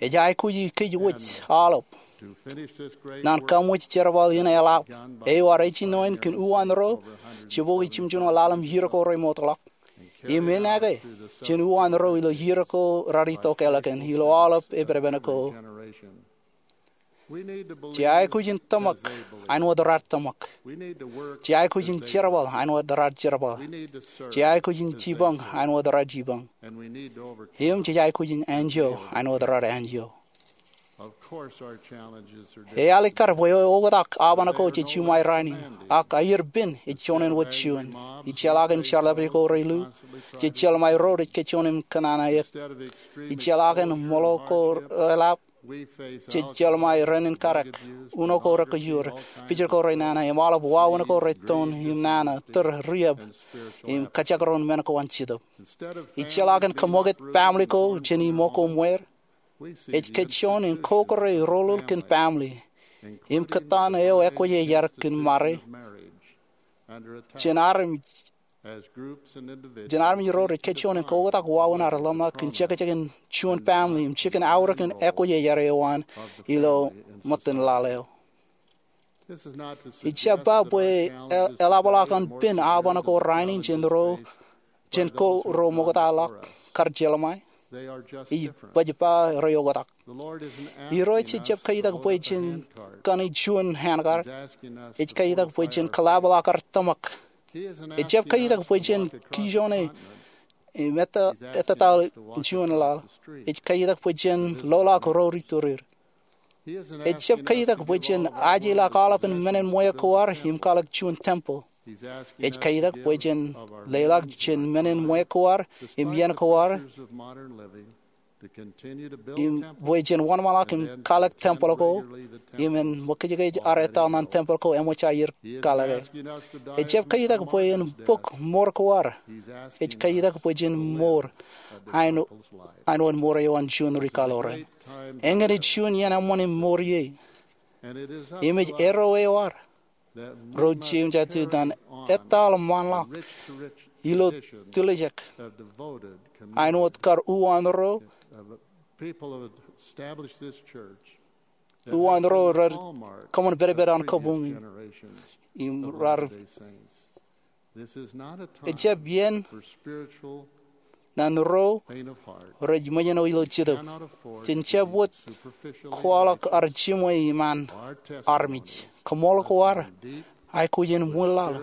Ej aikuji kōj wōj aolep ñan kaṃōj jerbal in eḷap eo ear ej ijin eo kōn uwaan ro jebokwi jimjuon ḷalem iiō ko remootḷọk, im enaaj ke jān uwaan ro ilo iiō ko raar itok ālikin ilo aolep epedepen ko. Jej aikuj in tōmak āinwōt raar tōmak. Jej aikuj in jerbal āinwōt raar jerbal. Jej aikuj in jipañ āinwōt raar jipañ. Im jej aikuj in enjeḷ āinwōt raar enjeḷ. Ealikkar bwe oktak aoban ko jej juṃae rainin, ak aier pen ej juon āinwōt juon. Ij jeḷā kōn jeḷā ko rej lu, jej jeḷā ro rej kōjjeḷā im kōnnaan eō. Ij jeḷā kōn ṃōḷo ko reḷap, jej jeḷā rein kadak, uno ko rekijur, picture ko renana, im aolep wāween ko rej toon im nana, tōre, riab, im kajekdọọn men ko an Jetōb. Ij jeḷā kōn kōṃṃool kōn family ko jān iṃō ko ṃweer, Ej kajjoon in kokōrā rōlul kōn baaṃle im kōttan eo ekwōjarjar kōn ṃare jān armej jān armej ro rej kajjoon in kaoktak wāween ad ḷōmṇak kōn jekjekin juon baaṃle im jikin aorōk in ekwōjarjar eo an ilo ṃōttan laḷ eo. Ij jab ba bwe eḷapḷọk an pen aoban ko rainin jān ro jān ko ro ṃoktaḷọk kar jeḷā ṃae. Ij baj ba rej oktak. Irooj ejjab kaitak bwe jen kani juon ānkar. Ej kaitak bwe jen kōḷapḷọk ad tōmak. Ejjab kaitak bwe jen kijoone im ettataḷ juon laḷ. Ej kaitak bwe jen loḷọk ro ri tōreer. Ejjab kaitak bwe jen ajeḷọk aolepān menin ṃweo ko ad im kwaḷọk juon tempel. Ej kaitak bwe jen leḷọk jān menin ṃweo ko ad im iien ko ad im bwe jen wōnṃaanḷọk im kwaḷọk tempel ko im en ṃōkajkaj ad etal ñan tempel ko eṃōj aer kwaḷọke. Ejjab kaitak bwe en bōk mour ko ad. Ej kaitak bwe jen mour āinwōt mour eo an juon ri kaḷoran. Eñin ej juon iien eṃṃan im mour ie. Im ej erro eo ad ro jeiū jatū ñan etal ṃaanḷọk ilo tiljek āinwōt kar uwaan ro uwaan ro rej kōṃṃan pedped an kabuñ im rar ejjab iien ñan ro rej ṃōjṇọ ilo jetōb. Jen jab wōt kwaḷọk ad jiṃwe iṃaan armej. Koṃṃool ko ad aikuj in ṃwilaḷ.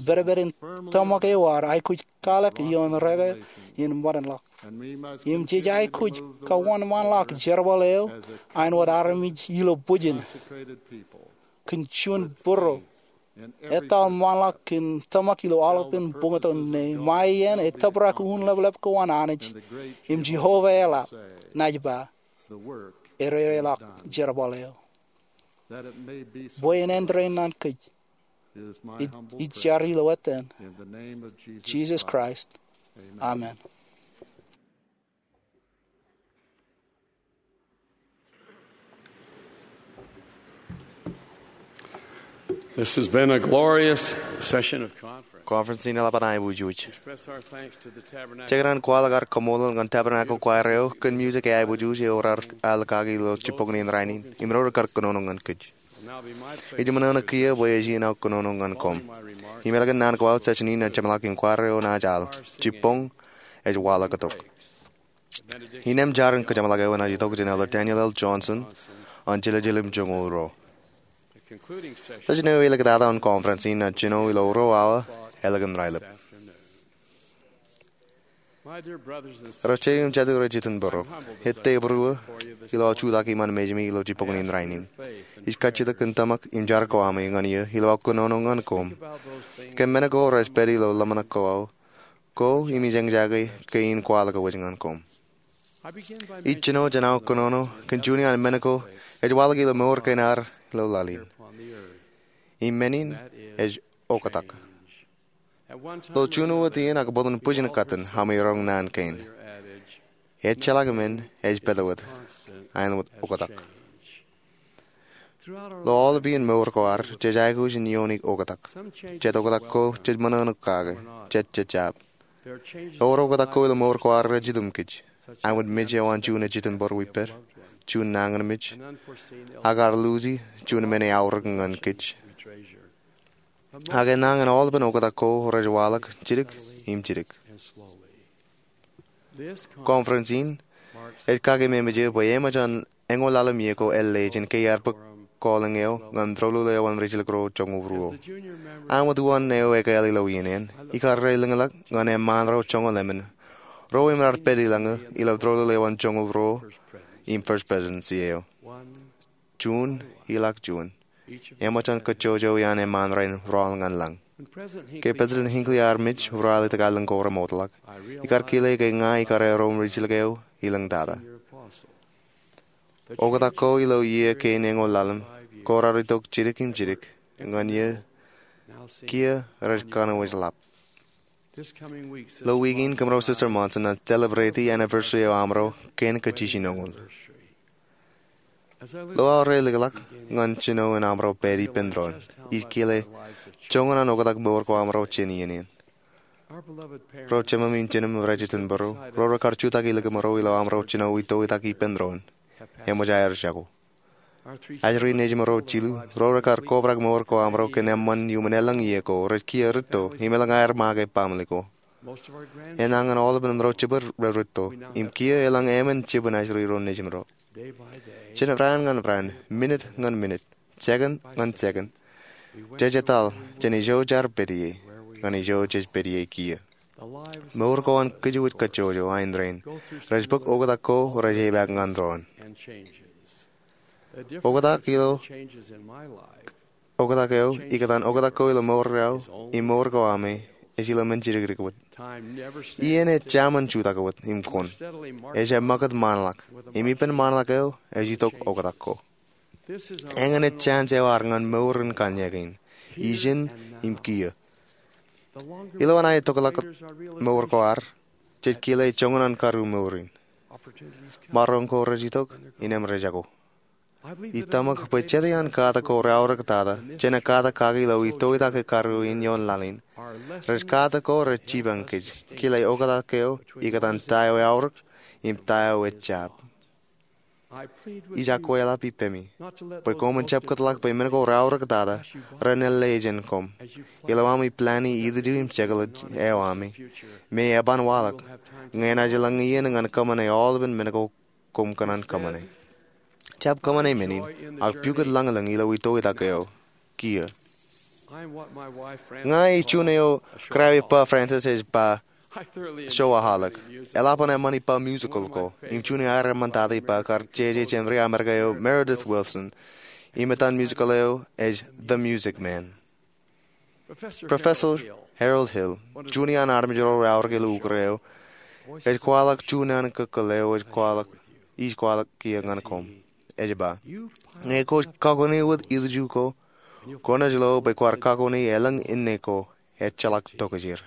Pedped in tōmak eo ad aikuj kwaḷọk ioon reke in ṃōdenḷọk. Im jej aikuj kawōnṃaanḷọk jerbal eo āinwōt armej ilo bwijin kōn juon būruō etal ṃaanḷọk kōn tōmak ilo aolepān buñtōn ṇe. Ṃae iien etōprak unin leplep ko an Anij im Jeova eḷap, naaj ba, erereḷọk jerbal eo. Bwe en āindein ñan kōj, ij jar ilo etan Jisōs Kraist, amen. This has been a glorious session of conference. Conference in eḷap an aiboojoj. Express our thanks to the Tabernacle. Jej kōṇaan kwaḷọk ad kaṃṃoolol ñan Tabernacle Choir eo kōn music eaiboojoj eo raar al kaki ilo jibboñin rainin im ro rekar kōnono ñan kōj. Ij ṃōṇōṇō kiiō bwe ej iien aō kōnono ñan koṃ. Im ālikin naan ko aō, session in ej jeṃḷọk im choir eo enaaj al. Jibboñ ej waḷọk itok. Innām jar in kōjeṃḷọk eo enaaj itok jān Elder Daniel L. Johnson an jeḷājeḷā im joñoul ruo. Session eo elikatata an conference in enaaj jino ilo ruo awa ālikin raelep. Ro jeiū im jatū rej itok bōro, ettā būruō ilo aō jutak iṃaan mejāmi ilo jibboñin rainin. Ij kajjitōk kōn tōmak im jar ko ami ñan eō ilo aō kōnono ñan koṃ. Kōn men ko rej pād ilo ḷōmṇak ko aō, ko im ij eñjake kein kwaḷọk wōj ñan koṃ. Ij jino jān aō kōnono kōn juon iaan men ko ej waḷọk ilo mour kein ad ilo laḷ in. Im men in ej oktak. Ilo juon wōt iien ak bōlen bwijin katten ami roñ naan kein. Ejjeḷọk men ej pād wōt, āinwōt oktak. Ilo aolepān iien mour ko ad, jej aikuj in iioon oktak. Jet oktak ko jej ṃōṇōṇō kake, jet jej jab. Ewōr oktak ko ilo mour ko ad rej itok kōj. Āinwōt mej eo an juon ej itok bōro ippād, juon nañinmej, ak ad luuji juon men eaorōk ñan kōj. Ak enañin aolepān oktak ko rej waḷọk jidik im jidik. Conference in ej kake ememej eō bwe eṃōj an eñoul ḷalem iiō ko ālle jān ke iar bōk calling eo ñan Rōlul eo an Rijjilōk ro joñoul ruo. Āinwōt uwaan eo ekāāl ilo iien eṇ, ikar lōñḷọk ñan eṃṃaan ro joñoul emān ro im raar pād ilañ eō ilo Rōlul eo an joñoul ruo im First Presidency eo. Juon ilọk juon. Eṃōj an kōjjojo iaan eṃṃaan rein rọọl ñan lañ. Ke President Hinckley ear mej ralitōk aelōñ ko remootḷọk, ikar kile ke ña ikar erom rijjilōk eo ilañ tata. Oktak ko ilo iiō kein eñoul ḷalem ko raar itok jidik im jidik ñan iiō kiiō rej kanooj ḷap. Ilo wiik in kōmro Sister Monson enaaj celebrate anniversary eo amro kien kajjinoñoul. Ilo aorōk eo eḷap ñan jino in amro pād ippān doon, ij kile joñan an oktak mour ko amro jān iien in. Ro jemem im jinnem rej itōn bōro, ro rekar jutak ilikin ro ilo amro jino itoitak ippān doon, eṃōj aer jako. Ajri nejimro jilu, ro rekar kobrak mour ko amro kōn eṃṃan iuṃwin elōñ iiō ko, rej kiiō rūtto im elōñ aer ṃake ilo family ko. Enañin aolepān ro jibwid rej rūtto im kiiō elōñ emān jibwin ajri ro nejimro. Jān raan ñan raan, minit ñan minit, second ñan second, jej etal jān ijo jaar pād ie ñan ijo jej pād ie kiiō. Mour ko an kōjwōj kajjojo, ain rainin, rej bōk oktak ko rej epaak ñan doon. Oktak ilo, oktak eo ikōtaan oktak ko ilo mour eo im mour ko ami ej ilo men jidikdik wōt. Iien ej jaṃōn jutak wōt im kōn, ej ṃakūt ṃaanḷọk, im ippān ṃaanḷọk eo ej itok oktak ko. Eñin ej chance eo ad ñan mour in kanniōk in, ijin im kiiō. Ilo an aetokḷọk mour ko ad, jej kile joñan an karuo mour in. Maroñ ko rej itok, innem rej jako. Ij tōmak bwe jete an katak ko reaorōktata jān katak kaki ilo itoitak karuo in ioon laḷ in, rej katak ko rej jipañ kōj kile oktak eo ikōtaan ta eo eaorōk im ta eo ejjab. Ij akweḷap ippemi bwe koṃwin jab kōtḷọk bwe men ko reaorōktata ren ālle jān koṃ ilo ami plani ilju im jekḷaj eo ami, me eban waḷọk ñe enaaj lōñ iien ñan kōṃṃane aolepān men ko koṃ kōṇaan kōṃṃane. Jab kōṃṃane men in, ak pukot lañlōñ ilo itoitak eo kiiō. Ña ij juon eo Krawi Pā Francis ej ba showaholic. Eḷap an eṃṃan ippa musical ko im juon aer eṃṃantata ippa kar jeje jān ri-Amerika eo Meredith Willson im etan musical eo ej The Music Man. Professor Harold Hill, juon iaan armej ro reaorōk ilo ukōt eo, ej kwaḷọk juon an kōkkōl eo ej kwaḷọk, ij kwaḷọk kiiō ñan koṃ. Ej ba, ñe kwōj kakone wōt ilju ko, kwōnaaj lo bwe kwaar kakone elōñ inne ko ejjeḷọk tokjāer.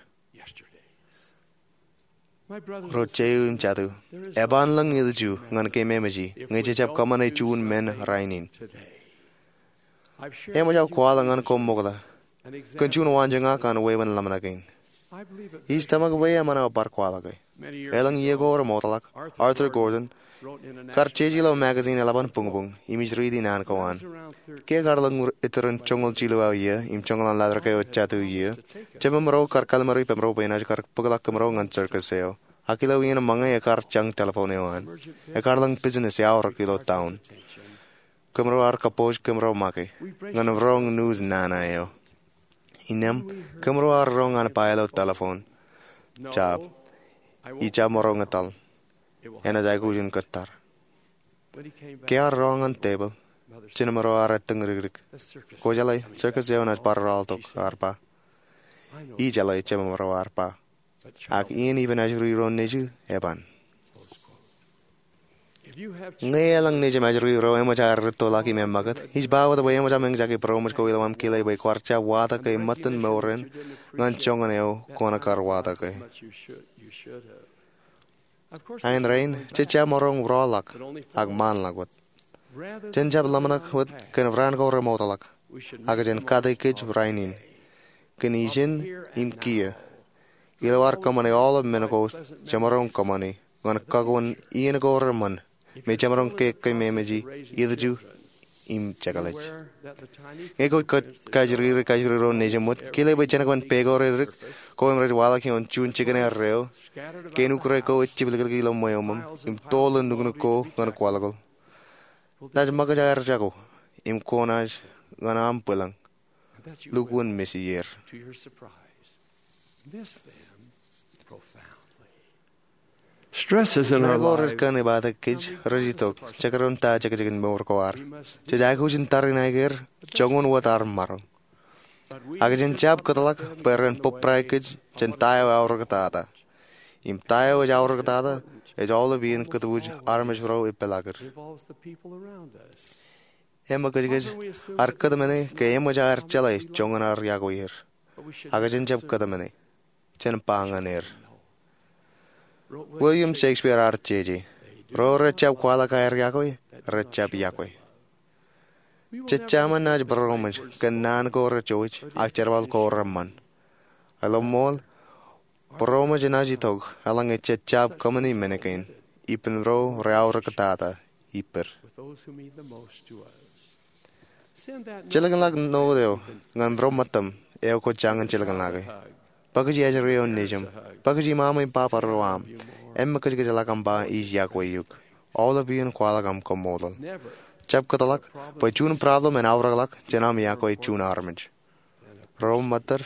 Ro jeiū im jatū, eban lōñ ilju ñan kōm emāji ñe jejab kōṃṃane juon men rainin. Eṃōj aō kwaḷọk ñan koṃ ṃokta kōn juon waanjoñak an wāween ḷōmṇak in. Ij tōmak bwe eṃṃan aō bar kwaḷọke. Elōñ iiō ko remootḷọk, Arthur Gordon kar jeje ilo magazine eḷap an buñbuñ, im ij riiti naan ko an. Ke ekar lōñ iturūṃ joñoul jilu aō iiō im joñoul an laḷ eo jatū iiō, jememro kar kallim̧ur ippaṃro bwe enaaj kar bōkḷọk kōmro ñan circus eo. Ak ilo iien ṃōñā ekar jañ telephone eo an. Ekar lōñ business eaorōk ilo town. Kōmro ar kōpooj kōmro make ñan roñ news nana eo. Innem, kōmro ar roñ an ba ilo telephone, jab, ij jab maroñ etal. Enaaj aikuj in kōttar. Ke ear roñ an tepil, jememro ar ettōñ dikdik. Kwōjeḷā, circus eo enaaj bar rọọltok, ear ba. Ijeḷā, jememro ear ba. Ak iien ippān ajri ro nejū eban. Ñe elōñ nejiṃ ajri ro eṃōj aer rūttoḷọk im eṃṃakūt, ij ba wōt bwe eṃōj aṃ eñjake būroṃōj ko ilo aṃ kile bwe kwaar jab watōk ke ṃōttan mour eṇ ñan joñan eo kwōn kar watōke. Ain rainin, jej jab maroñ rọọlḷọk, ak ṃaanḷọk wōt. Jen jab ḷōmṇak wōt kōn raan ko remootḷọk, ak jen kate kōj rainin kōn ijin im kiiō. Ilo ad kōṃṃane aolep men ko jemaroñ kōṃṃane ñan kakuun iien ko reṃṃan, me jemaroñ ke kōm emāji ilju im jekḷaj. Ñe kwōj kajjirjir kajjirjir ro nejūṃ wōt, kile bwe jenōkpen pā ko reddik ko im rej waḷọk ioon juon jikin erreo, kein ukōt ko ej jibliklik ilo ṃweo ṃōṃ im toḷ in nuknuk ko ñan kwaḷọkḷọk. Naaj ṃōkaj aer jako im kwōnaaj ñan aṃ bwilōñ lukkuun missed ier. Stresses in our lives. Men ko rej kōn ebatak kōj rej itok jekdọọn ta jekjekin mour ko ad. Jej aikuj in tariṇae er joñan wōt ad maroñ. Ak jen jab kōtḷọk bwe ren bōbrae kōj jān ta eo eaorōktata. Im ta eo ej aorōktata ej aolep iien kōtwōj armej ro epālọked. Eṃōkajkōj ad kōtmāne ke eṃōj aer jeḷā joñan ad yokwe er. Ak jen jab kōtmāne. jān ba ñan er. William Shakespeare ear jeje, ro rejjab kwaḷọk aer yokwe, rejjab yokwe. Jejjab naaj būroṃōj kōn naan ko rejouj ak jerbal ko reṃṃan. Ilo ṃool, būroṃōj enaaj itok eḷaññe jejjab kōṃṃani men kein, ippān ro reaorōktata ippād. Jilkinḷọk ṇote eo ñan ro ṃōttam eo kwōj jañin jilkinḷọke. Bōkiji ajri eo nejiṃ. Bōkiji ṃaṃa im baba ro aṃ. Emmekūtkūtḷọk aṃ ba ij yokwe eok. Aolep iien kwaḷọk aṃ kaṃṃoolol. Jab kōtḷọk bwe juon problem en aorōkḷọk jān aṃ yokwe juon armej. Ro ṃōttad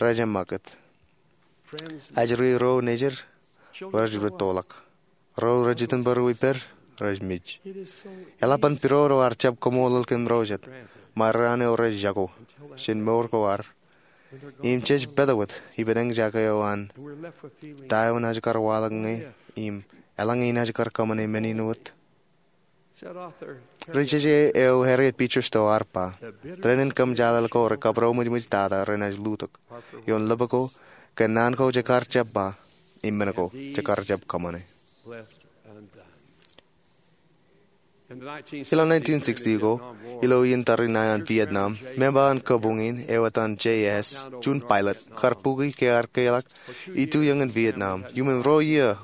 rej eṃṃakūt. Ajri ro nejid rej rūttoḷọk. Ro rej itok bar wiper rej mej. Eḷap an pidodo ar jab kaṃṃoolol kōn ro jet, ṃae raan eo rej jako jān mour ko ad im jej pād wōt ippān eñjake eo an ta eo naaj kar waḷọk ñe im eḷaññe inaaj kar kōṃṃane men in wōt. Ri-jeje eo Harriet Beecher Stowe ear ba, dānin kōmjaaḷ ko rekapidoṃōjṃōj tata renaaj lutōk ioon lōb ko kōn naan ko jekar jab ba im men ko jekar jab kōṃṃane. Ilo nineteen sixty ko, ilo iien tariṇae an Vietnam, member an kabuñ in eo etan J S, juon pilot, kar buki ke ear keḷọk ituiōñ in Vietnam. Iuṃwin ruo iiō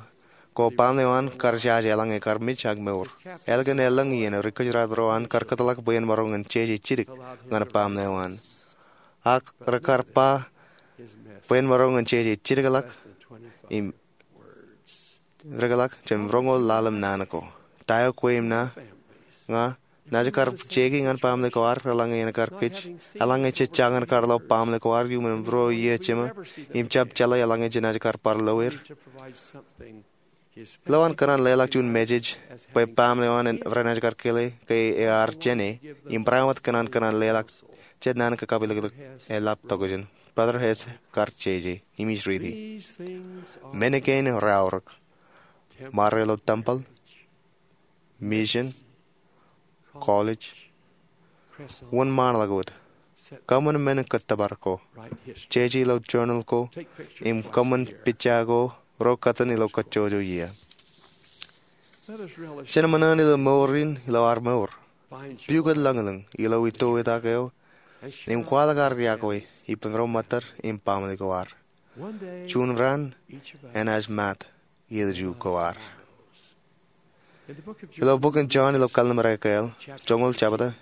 ko baaṃle eo an kar jaje eḷaññe kar mej ak mour. Ālikin elōñ iien eo ri-kōjdat ro an kar kōtḷọk bwe en maroñ in jeje jidik ñan baaṃle eo an. Ak rekar ba bwe en maroñ in jeje jidikḷọk im dikḷọk jān roñoul ḷalem naan ko. Ta eo kwe im ña naaj kar jeki ñan baaṃle ko ad eḷaññe en kar kōj, eḷaññe jej jañin kar lo baaṃle ko ad iuṃwin ruo iiō jiṃa im jab jeḷā eḷaññe jenaaj kar bar lo er? Ilo an kōṇaan leḷọk juon message bwe baaṃle eo an renaaj kar kile ke ear jāne im barāinwōt kōṇaan kōṇaan leḷọk jet naan kakapilōklōk eḷap tokjān, Brother Hess kar jeje im ij riiti. Men kein raorōk. Ṃare ilo tempeḷ, mission, college, wōnṃaanḷọk wōt. Kōṃṃan men kōttōpar ko. Jeje ilo journal ko im kōṃṃan pija ko ro kōttan ilo kajjojo iiō. Jen ṃōṇōṇō ilo mour in ilo ad mour. Pukot lañlōñ ilo itoitak eo im kwaḷọk ad yokwe ippān ro ṃōttad im baaṃle ko ad. Juon raan enaaj maat ilju ko ad. Ilo bok in John ilo Kalliṃur Ekāāl, joñoul jebta,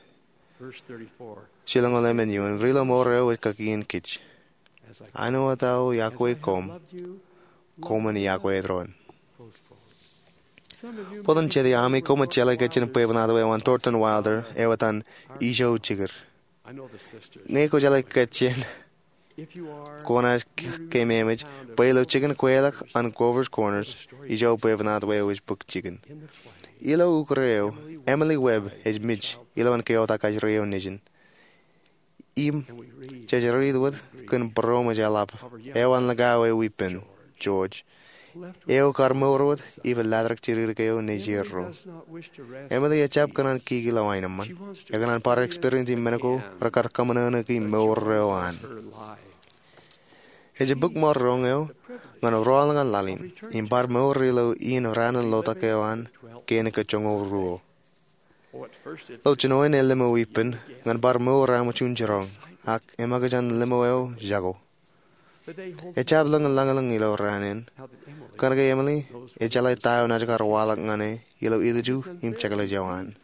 jilñoul emān eoon, Ri-lomour eo ej kakien kōj, Āinwōt aō yokwe koṃ, koṃwin yokwe doon. Bōlen jete ami koṃij jeḷā ke jen bwebwenato eo an Thornton Wilder eo etan Ijo Jikid. Ñe kwōjeḷā ke jen, kwōnaaj keememej bwe ilo jikin kweilọk an Grover's Corners, ijo bwebwenato eo ej bōk jikin. Ilo ukōt eo, Emily Webb ej mej ilowaan keotak ajri eo nejin. Im jej riit wōt kōn būroṃōj eḷap eo an likao eo ippān, George, eo kar mour wōt ippān latrōk jidik eo nejierro. Emily ejjab kōṇaan kiki ilo aenōṃṃan. Ekōṇaan bar experience men ko rekar kōṃōṇōṇōki mour eo an. Ej bōk ṃōk roñ eo ñan ruwaḷ ñan laḷ in im bar mour ilo iien raan in lotak eo an kein ke joñoul ruo. Ilo jinoin elōm eo ippān ñan bar mour aṃ juon jiroñ, ak eṃōkaj an lōm eo jako. Ejjab lōñ lañlōñ ilo raan in kōnke Emily ejeḷā ta eo naaj kar waḷọk ñan e ilo ilju im jekḷaj eo an.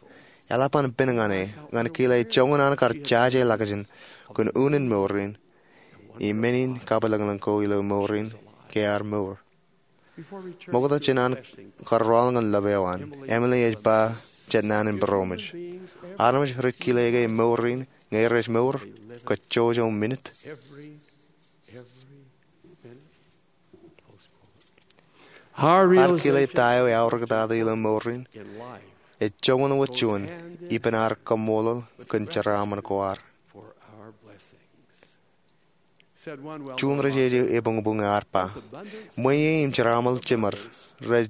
Eḷap an pen ñan e ñan kile joñan an kar jaje ḷọkjeṇ kōn unin mour in im men in kapilōñlōñ ko ilo mour in ke ad mour. Ṃokta jān an kar ruwaḷ ñan lōb eo an, Emily ej ba jet naan in būroṃōj. Armej rej kile ke mour in ñe rej mour kajjojo minit. Ad kile ta eo eaorōktata ilo mour in ej joñan wōt juon ippān ad kaṃṃoolol kōn jeraaṃṃan ko ad. Juon ri-jeje ebuñbuñ ear ba, ṃweiie im jeraaṃṃan jemed rej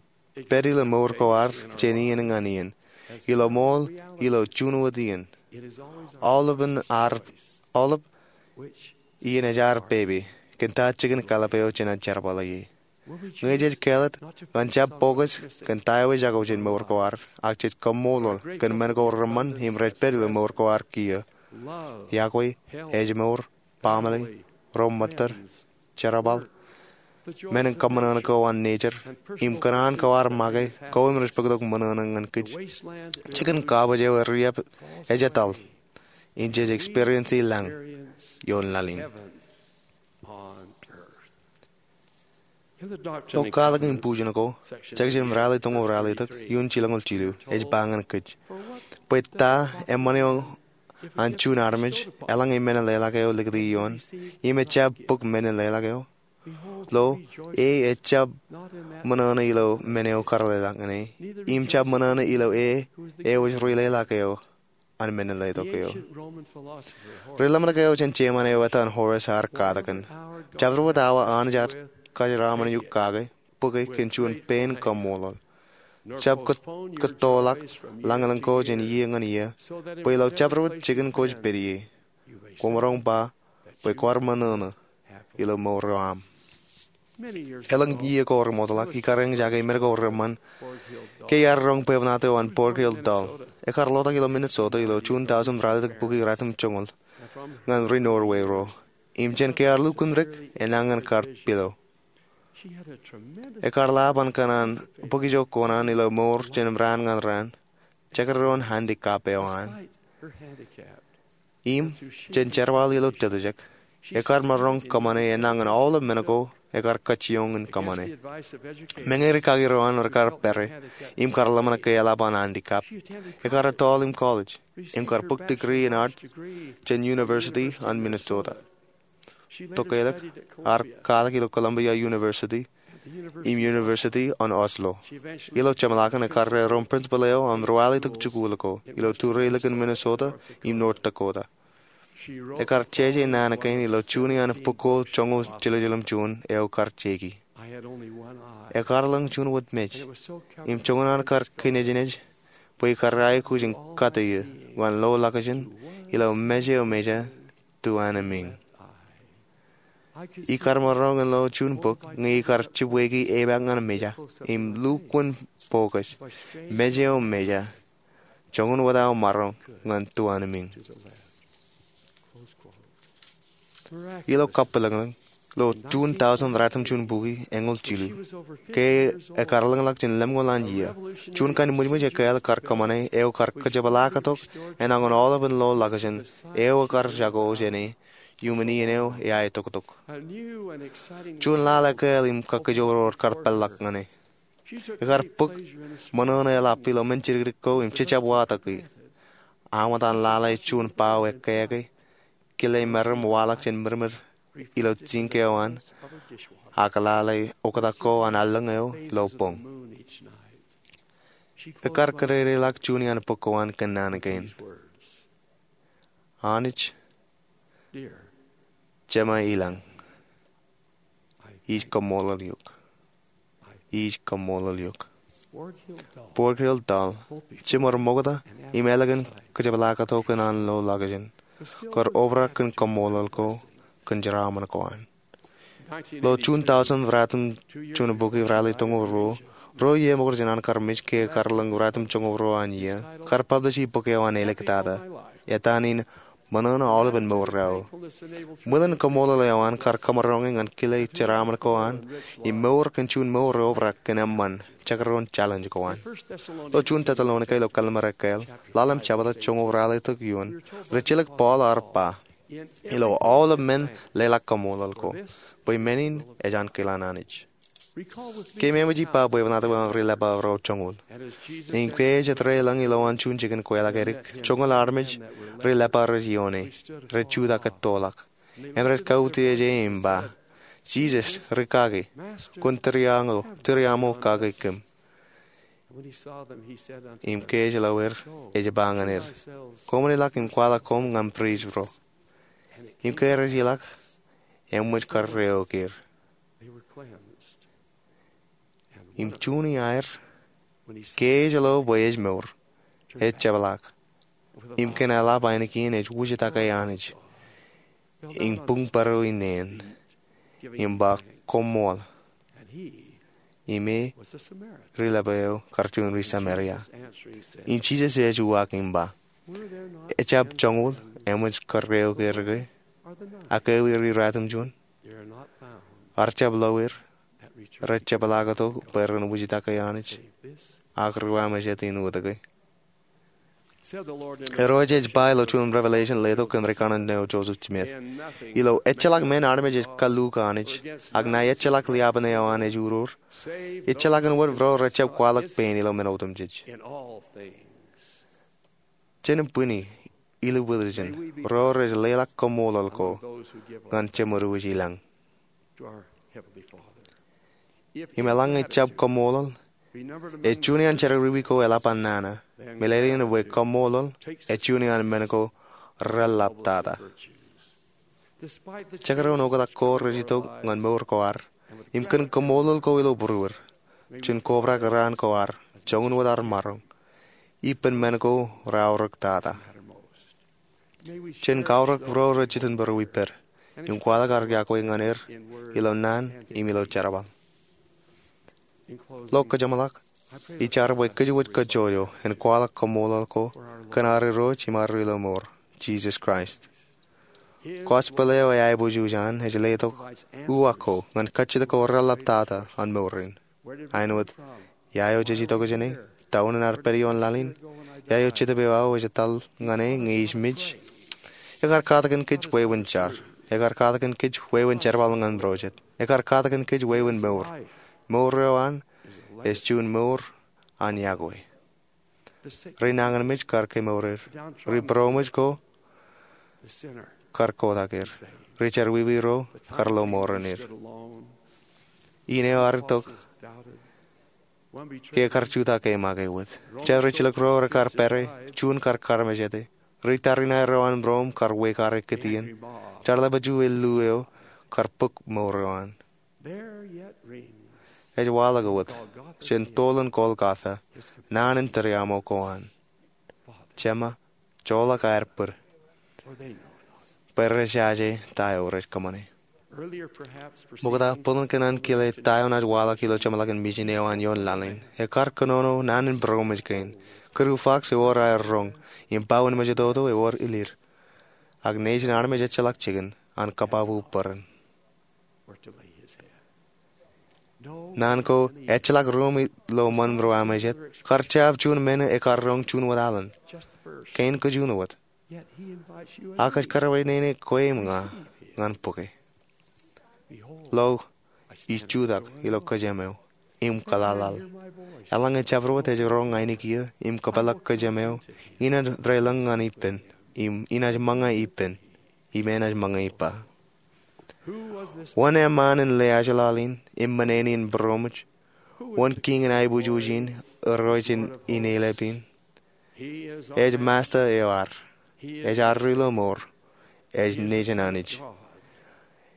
pād ilo mour ko ad jān iien ñan iien, ilo ṃool, ilo juon wōt iien. Aolep iien ej ad pepe, kōn ta jikin kālōp eo jenaaj jerbal ie. Ñe jej kāālōt ñan jab focus kōn ta eo ejako jān mour ko ad, ak jej kaṃṃoolol kōn men ko reṃṃan im rej pād ilo mour ko ad kiiō, iọkwe, ājmour, baaṃle, ro ṃōttad, jerbal, men in kōṃṃan ko an nature, im kōṇaan ko ad make, ko im rej bōktok ṃōṇōṇō ñan kōj. Jikin kabōj eo e riab ej etal, im jej experience lañ ioon laḷ in. Ilo Katak im Bujen ko, section ralitōñoul ralitōk, iuun jilñoul jilu, ej ba ñan kōj, bwe ta eṃṃan eo an juon armej eḷaññe men in leḷọk eo likūti ioon, im ejjab bōk men in leḷọk eo? Lo, e ejjab ṃōṇōṇō ilo men eo kar leḷọk ñan e, im jab ṃōṇōṇō ilo e eo ej rileḷọk eo an men in letok eo. Ri ḷōmṇak eo jān Jeman eo etan Horace ear katakin, jabdewōt awa Anij ear kōjeraaṃṃan eok kake bōke kōn juon pein kaṃṃoolol. Jab kōttoḷọk lañlōñ ko jān iiō ñan iiō, bwe ilo jabdewōt jikin kwōj pād ie, kwōmaroñ ba bwe kwaar ṃōṇōṇō ilo mour eo aṃ. Elōñ iiō ko remootḷọk, ikar eñjake men ko reṃṃan, ke iar roñ bwebwenato an Borghild Dahl. Ekar lotak ilo Minnesota ilo June thausend ralitōk bukwi ratimjuonñoul ñan ri Norway ro. Im jān ke ear lukkuun rik, enañin kar pilo. Ekar lab an kōṇaan bōk ijo kōṇaan ilo mour jān raan ñan raan, jekdọọn handicap eo an. Im jān jerbal ilo tōtōjek, ekar maroñ kōṃṃane enañin aolep men ko ekar kajjioñ in kōṃṃane. Meñe rikaki ro an rekar pere im kar ḷōmṇak ke eḷap an handicap, ekar ettoḷ im college im kar bōk degree in art jān University an Minnesota. Tokālik, ear katak ilo Columbia University im University an Oslo. Ilo jeṃḷọkin ekar rerom principal eo an ruwalitōk jikuuḷ ko ilo turelikin Minnesota im North Dakota. Ekar jeje naan kein ilo juon iaan bok ko joñoul jiljilimjuon eo kar jeki. Ekar ḷōñ juon wōt mej, im joñan an kar kinejnej bwe ikar aikuj in kate eō ñan lo ḷakjān ilo mej eo meja tuanmiiñ. Ikar maroñ in lo juon bok ñe ikar jibweiki epaak ñan meja im lukkuun bokōj, mej eo meja, joñan wōt aō maroñ ñan tuanmiiñ. Ilo kabwilōñlōñ, ilo June thausend ratimjuon bukwi eñoul jilu, ke ekar lōñḷọk jān lemñoul an iiō, juon kain ṃwijṃwij ekāāl kar kōṃṃane eo kar kajepḷaaktok enañin aolepān lo ḷakjān eo ekar jako jāne iuṃwin iien eo eaetoktok. Juon laḷ ekāāl im kakkijoror kar peḷḷọk ñan e. Ekar bōk ṃōṇōṇō eḷap ilo men jidikdik ko im jejjab watōki. Aṃ etan lale juon bao ekkāke, kile meram waḷọk jān mirmir ilo sink eo an, ak lale oktak ko an allōñ eo ilo boñ. Ekar kōdōdōḷọk juon iaan bok ko an kōn naan kein: Anij, Jema ilañ, ij kaṃṃoolol eok. Ij kaṃṃoolol eok. Borghild Dahl, jiṃor ṃokta im ālikin kajepḷaaktok in an lo ḷakjān, kar obrak kōn kaṃṃoolol ko kōn jeraaṃṃan ko an. Ilo June thausend ratimjuon bukwi ralitōñoul ruo, ruo iiō ṃokta jān an kar mej ke ekar lōñ ratimjuonñoul ruo an iiō, kar publish e bok eo an āliktata, etan in Ṃōṇōṇō Aolepān Mour eo. Ṃwilen kaṃṃoolol eo an kar kōmaroñe ñan kile jeraaṃṃan ko an im mour kōn juon mour eobrak kōn eṃṃan jekdọọn challenge ko an. Ilo June Tessalonika ilo kallim̧ur ekkāāl, ḷalem jebta joñoul ralitōk eoon, rijjelōk Paul ear ba, ilo aolep men leḷọk kaṃṃoolol ko, bwe men in ej an kilan Anij. Keememej ippa bwebwenato an ri Lebar ro joñoul. Im ke ej etrelōñ ilowaan juon jikin kweilọk edik, joñoul armej ri Lebar rej ioone, rej jutak ettoḷọk im rej kautiej e im ba, Jisōs, rikaki, kwōn tūriaṃo, tūriaṃo kake kōm. Im ke ej lo er, ej ba ñan er, koṃṃan ilọk im kwaḷọk koṃ ñan priest ro. Im ke rej ilọk, eṃōj kar reokier. Im juon iaer, ke ej lo bwe ej mour, ej jepḷaak. Im kōn eḷap ainikien ej wūjtake Anij im buñbōro inein. im ba, "Koṃṃool." Im e ri lepo eo kar juon ri Sameria. Im Jisōs ej uwaak im ba, "Ejjab joñoul eṃōj kōrreoik er ke? Ak ewi ri ratimjuon? Ar jab lo er rej jepḷaaktok bwe ren wūjtake Anij, ak ri wāmejād in wōt ke?" Irooj ej ba ilo juon Revelation letok kōn ri kanaan eo Joseph Smith, ilo ejjeḷọk men armej ej kalluuk Anij, ak ṇae ejjeḷọk liapen eo an ej uroor, ejjeḷọkin wōt ro rej jab kwaḷọk pein ilo men otemjej. Jen bwini ilo bwilōñ ro rej leḷọk kaṃṃoolol ko ñan Jemedwōj ilañ. Im eḷaññe jab kaṃṃoolol, ej juon iaan jerọwiwi ko eḷap an nana. Meḷeḷein bwe kaṃṃoolol ej juon iaan men ko reḷḷap tata. Jekdọọn oktak ko rej itok ñan mour ko ad, im kōn kaṃṃoolol ko ilo būruod, jen kobrak raan ko ad joñan wōt ad maroñ, ippān men ko reaorōk tata. Jen kaorōk ro rej jitōnbōro ippād im kwaḷọk ad yokwe ñan er ilo naan im ilo jerbal. Ilo kōjeṃḷọk, ij jar bwe kōjwōj kōjjojo en kwaḷọk kaṃṃoolol ko kōn ad Irooj im ad Ri-lomour, Jisōs Kraist. Gospel eo eaiboojoj an ej letok uwaak ko ñan kajjitōk ko reḷḷap tata an mour in. Āinwōt, ia eo jej itok jāne? Down in ad pād ioon laḷ in? Ia eo Jetōb eo aō ej etal ñan e ñe ij mej? Ekar katakin kōj wāween jar. Ekar katakin kōj wāween jerbal ñan Irooj. Ekar katakin kōj wāween mour. Mour eo an ej juon mour an yokwe. Ri nañinmej kar kemour er. Ri būroṃōj ko kar kotak er. Ri jerọwiwi ro kar lo mour in er. Ineo ad itok ke kar jutak ke make wōt. Jar ri jilkinro rekar pere, juon kar karmejete. Ri tariṇae ro an būroṃ kar wekare kitien. Jar lepo juon eo kar bōk mour eo an. Ej waḷọk wōt jān toḷ in Golgotha naan in tūriaṃo ko an. Jema, joḷọk aer bōd, bwe rej jaje ta eo rej kōṃṃane. Ṃokta, bōlen kōn an kile ta eo naaj waḷọk ilo jeṃḷọkin mijin eo an ioon laḷ in, ekar kōnono naan in būroṃōj kein. Kūru Fox ewōr aer roñ, im Bowen Mejatoto ewōr ilir. Ak nejin armej ejjeḷọk jikin an kōbaba bōran. Naan ko ejjeḷọk ruōṃ ilo ṃōn ro aṃ jet kar jab juon men ekar roñ juon wōt alen. Kein kōj juon wōt. Ak ej kōrā bwe nene kwe im ña ñan bōke. Lo, ij jutak ilo kōjām eo im kōḷaḷḷaḷ. Eḷaññe jabdewōt ej roñ ainikien im kōpeḷḷọk kōjām eo, inaaj reilañ ñan ippān im inaaj ṃōñā ippān im enaaj ṃōñā ippa. Wōn eṃṃaan in lewōj laḷ in im men in būroṃōj? Wōn kiiñ in aiboojoj in, Irooj in eilep in? Ej Masta eo ad. Ej ad Ri-lomour. Ej Nejin Anij.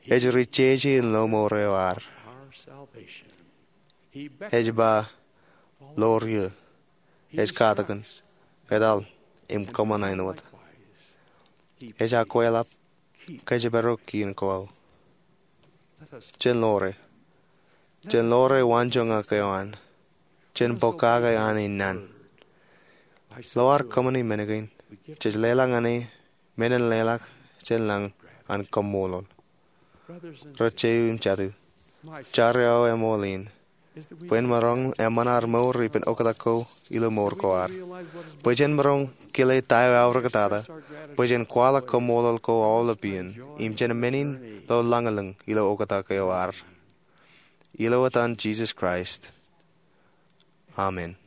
Ej ri jeje in lomour eo ad. Ej ba, "Ḷoor ie." Ej katakin, "Etal im kōṃṃan āinwōt." Ej akweḷap kōjparok in kōḷ. Jen ḷoore. Jen ḷoore waanjoñak eo an. Jen bōk kake an naan. Ilo ad kōṃṃani men kein, jej leḷọk ñan e men in leḷọk jān lañ an kaṃṃoolol. Ri jeiū im jatū, jar eo eṃool in bwe en maroñ eṃṃan ad mour ippān oktak ko ilo mour ko ad. Bwe jen maroñ kile ta eo eaorōk tata, bwe jen kwaḷọk kaṃṃoolol ko aolep iien, im jen men in lo lañlōñ ilo oktak eo ad. Ilo etan Jisōs Kraist. Amen.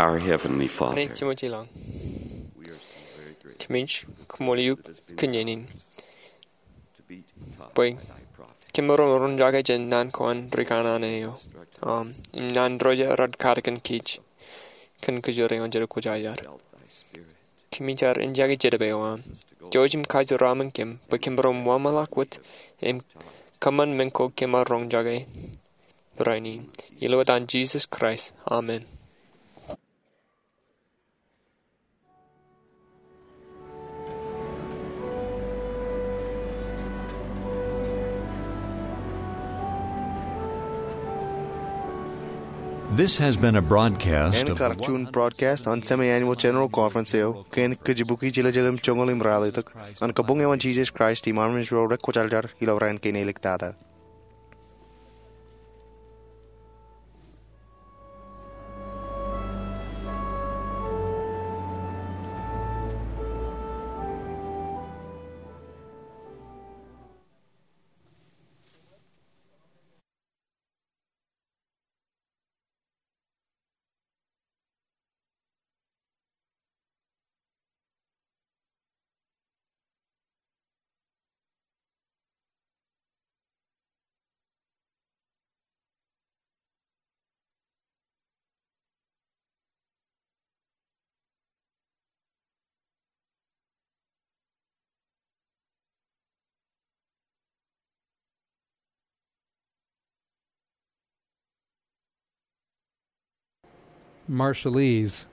Our Heavenly Father, Anij Jemem ilañ, kōmij koṃṃool eok kōn iien in bwe kōm maroñ roñjake jān naan ko an rikanaan eo aṃ im naan roñjake rej katakin kōj kōn kōjro eo an jenaaj kwōjarjar. Kōmij eñjake jerbal eo aṃ. Jouj im kajeraṃṃan kōm bwe kōm maroñ wōnṃaanḷọk wōt im kōṃṃan men ko kōm ar roñjake rainin. Ilo etan Jisōs Kraist, amen. This has been a broadcast En of the kar juon broadcast an semi-annual General Conference eo kōn kōjpuki jiljilimjuonñoul im ralitōk an Kabuñ eo an Jisōs Kraist im Armej ro rej kwōjarjar ilo raan kein eliktata. Marshallese.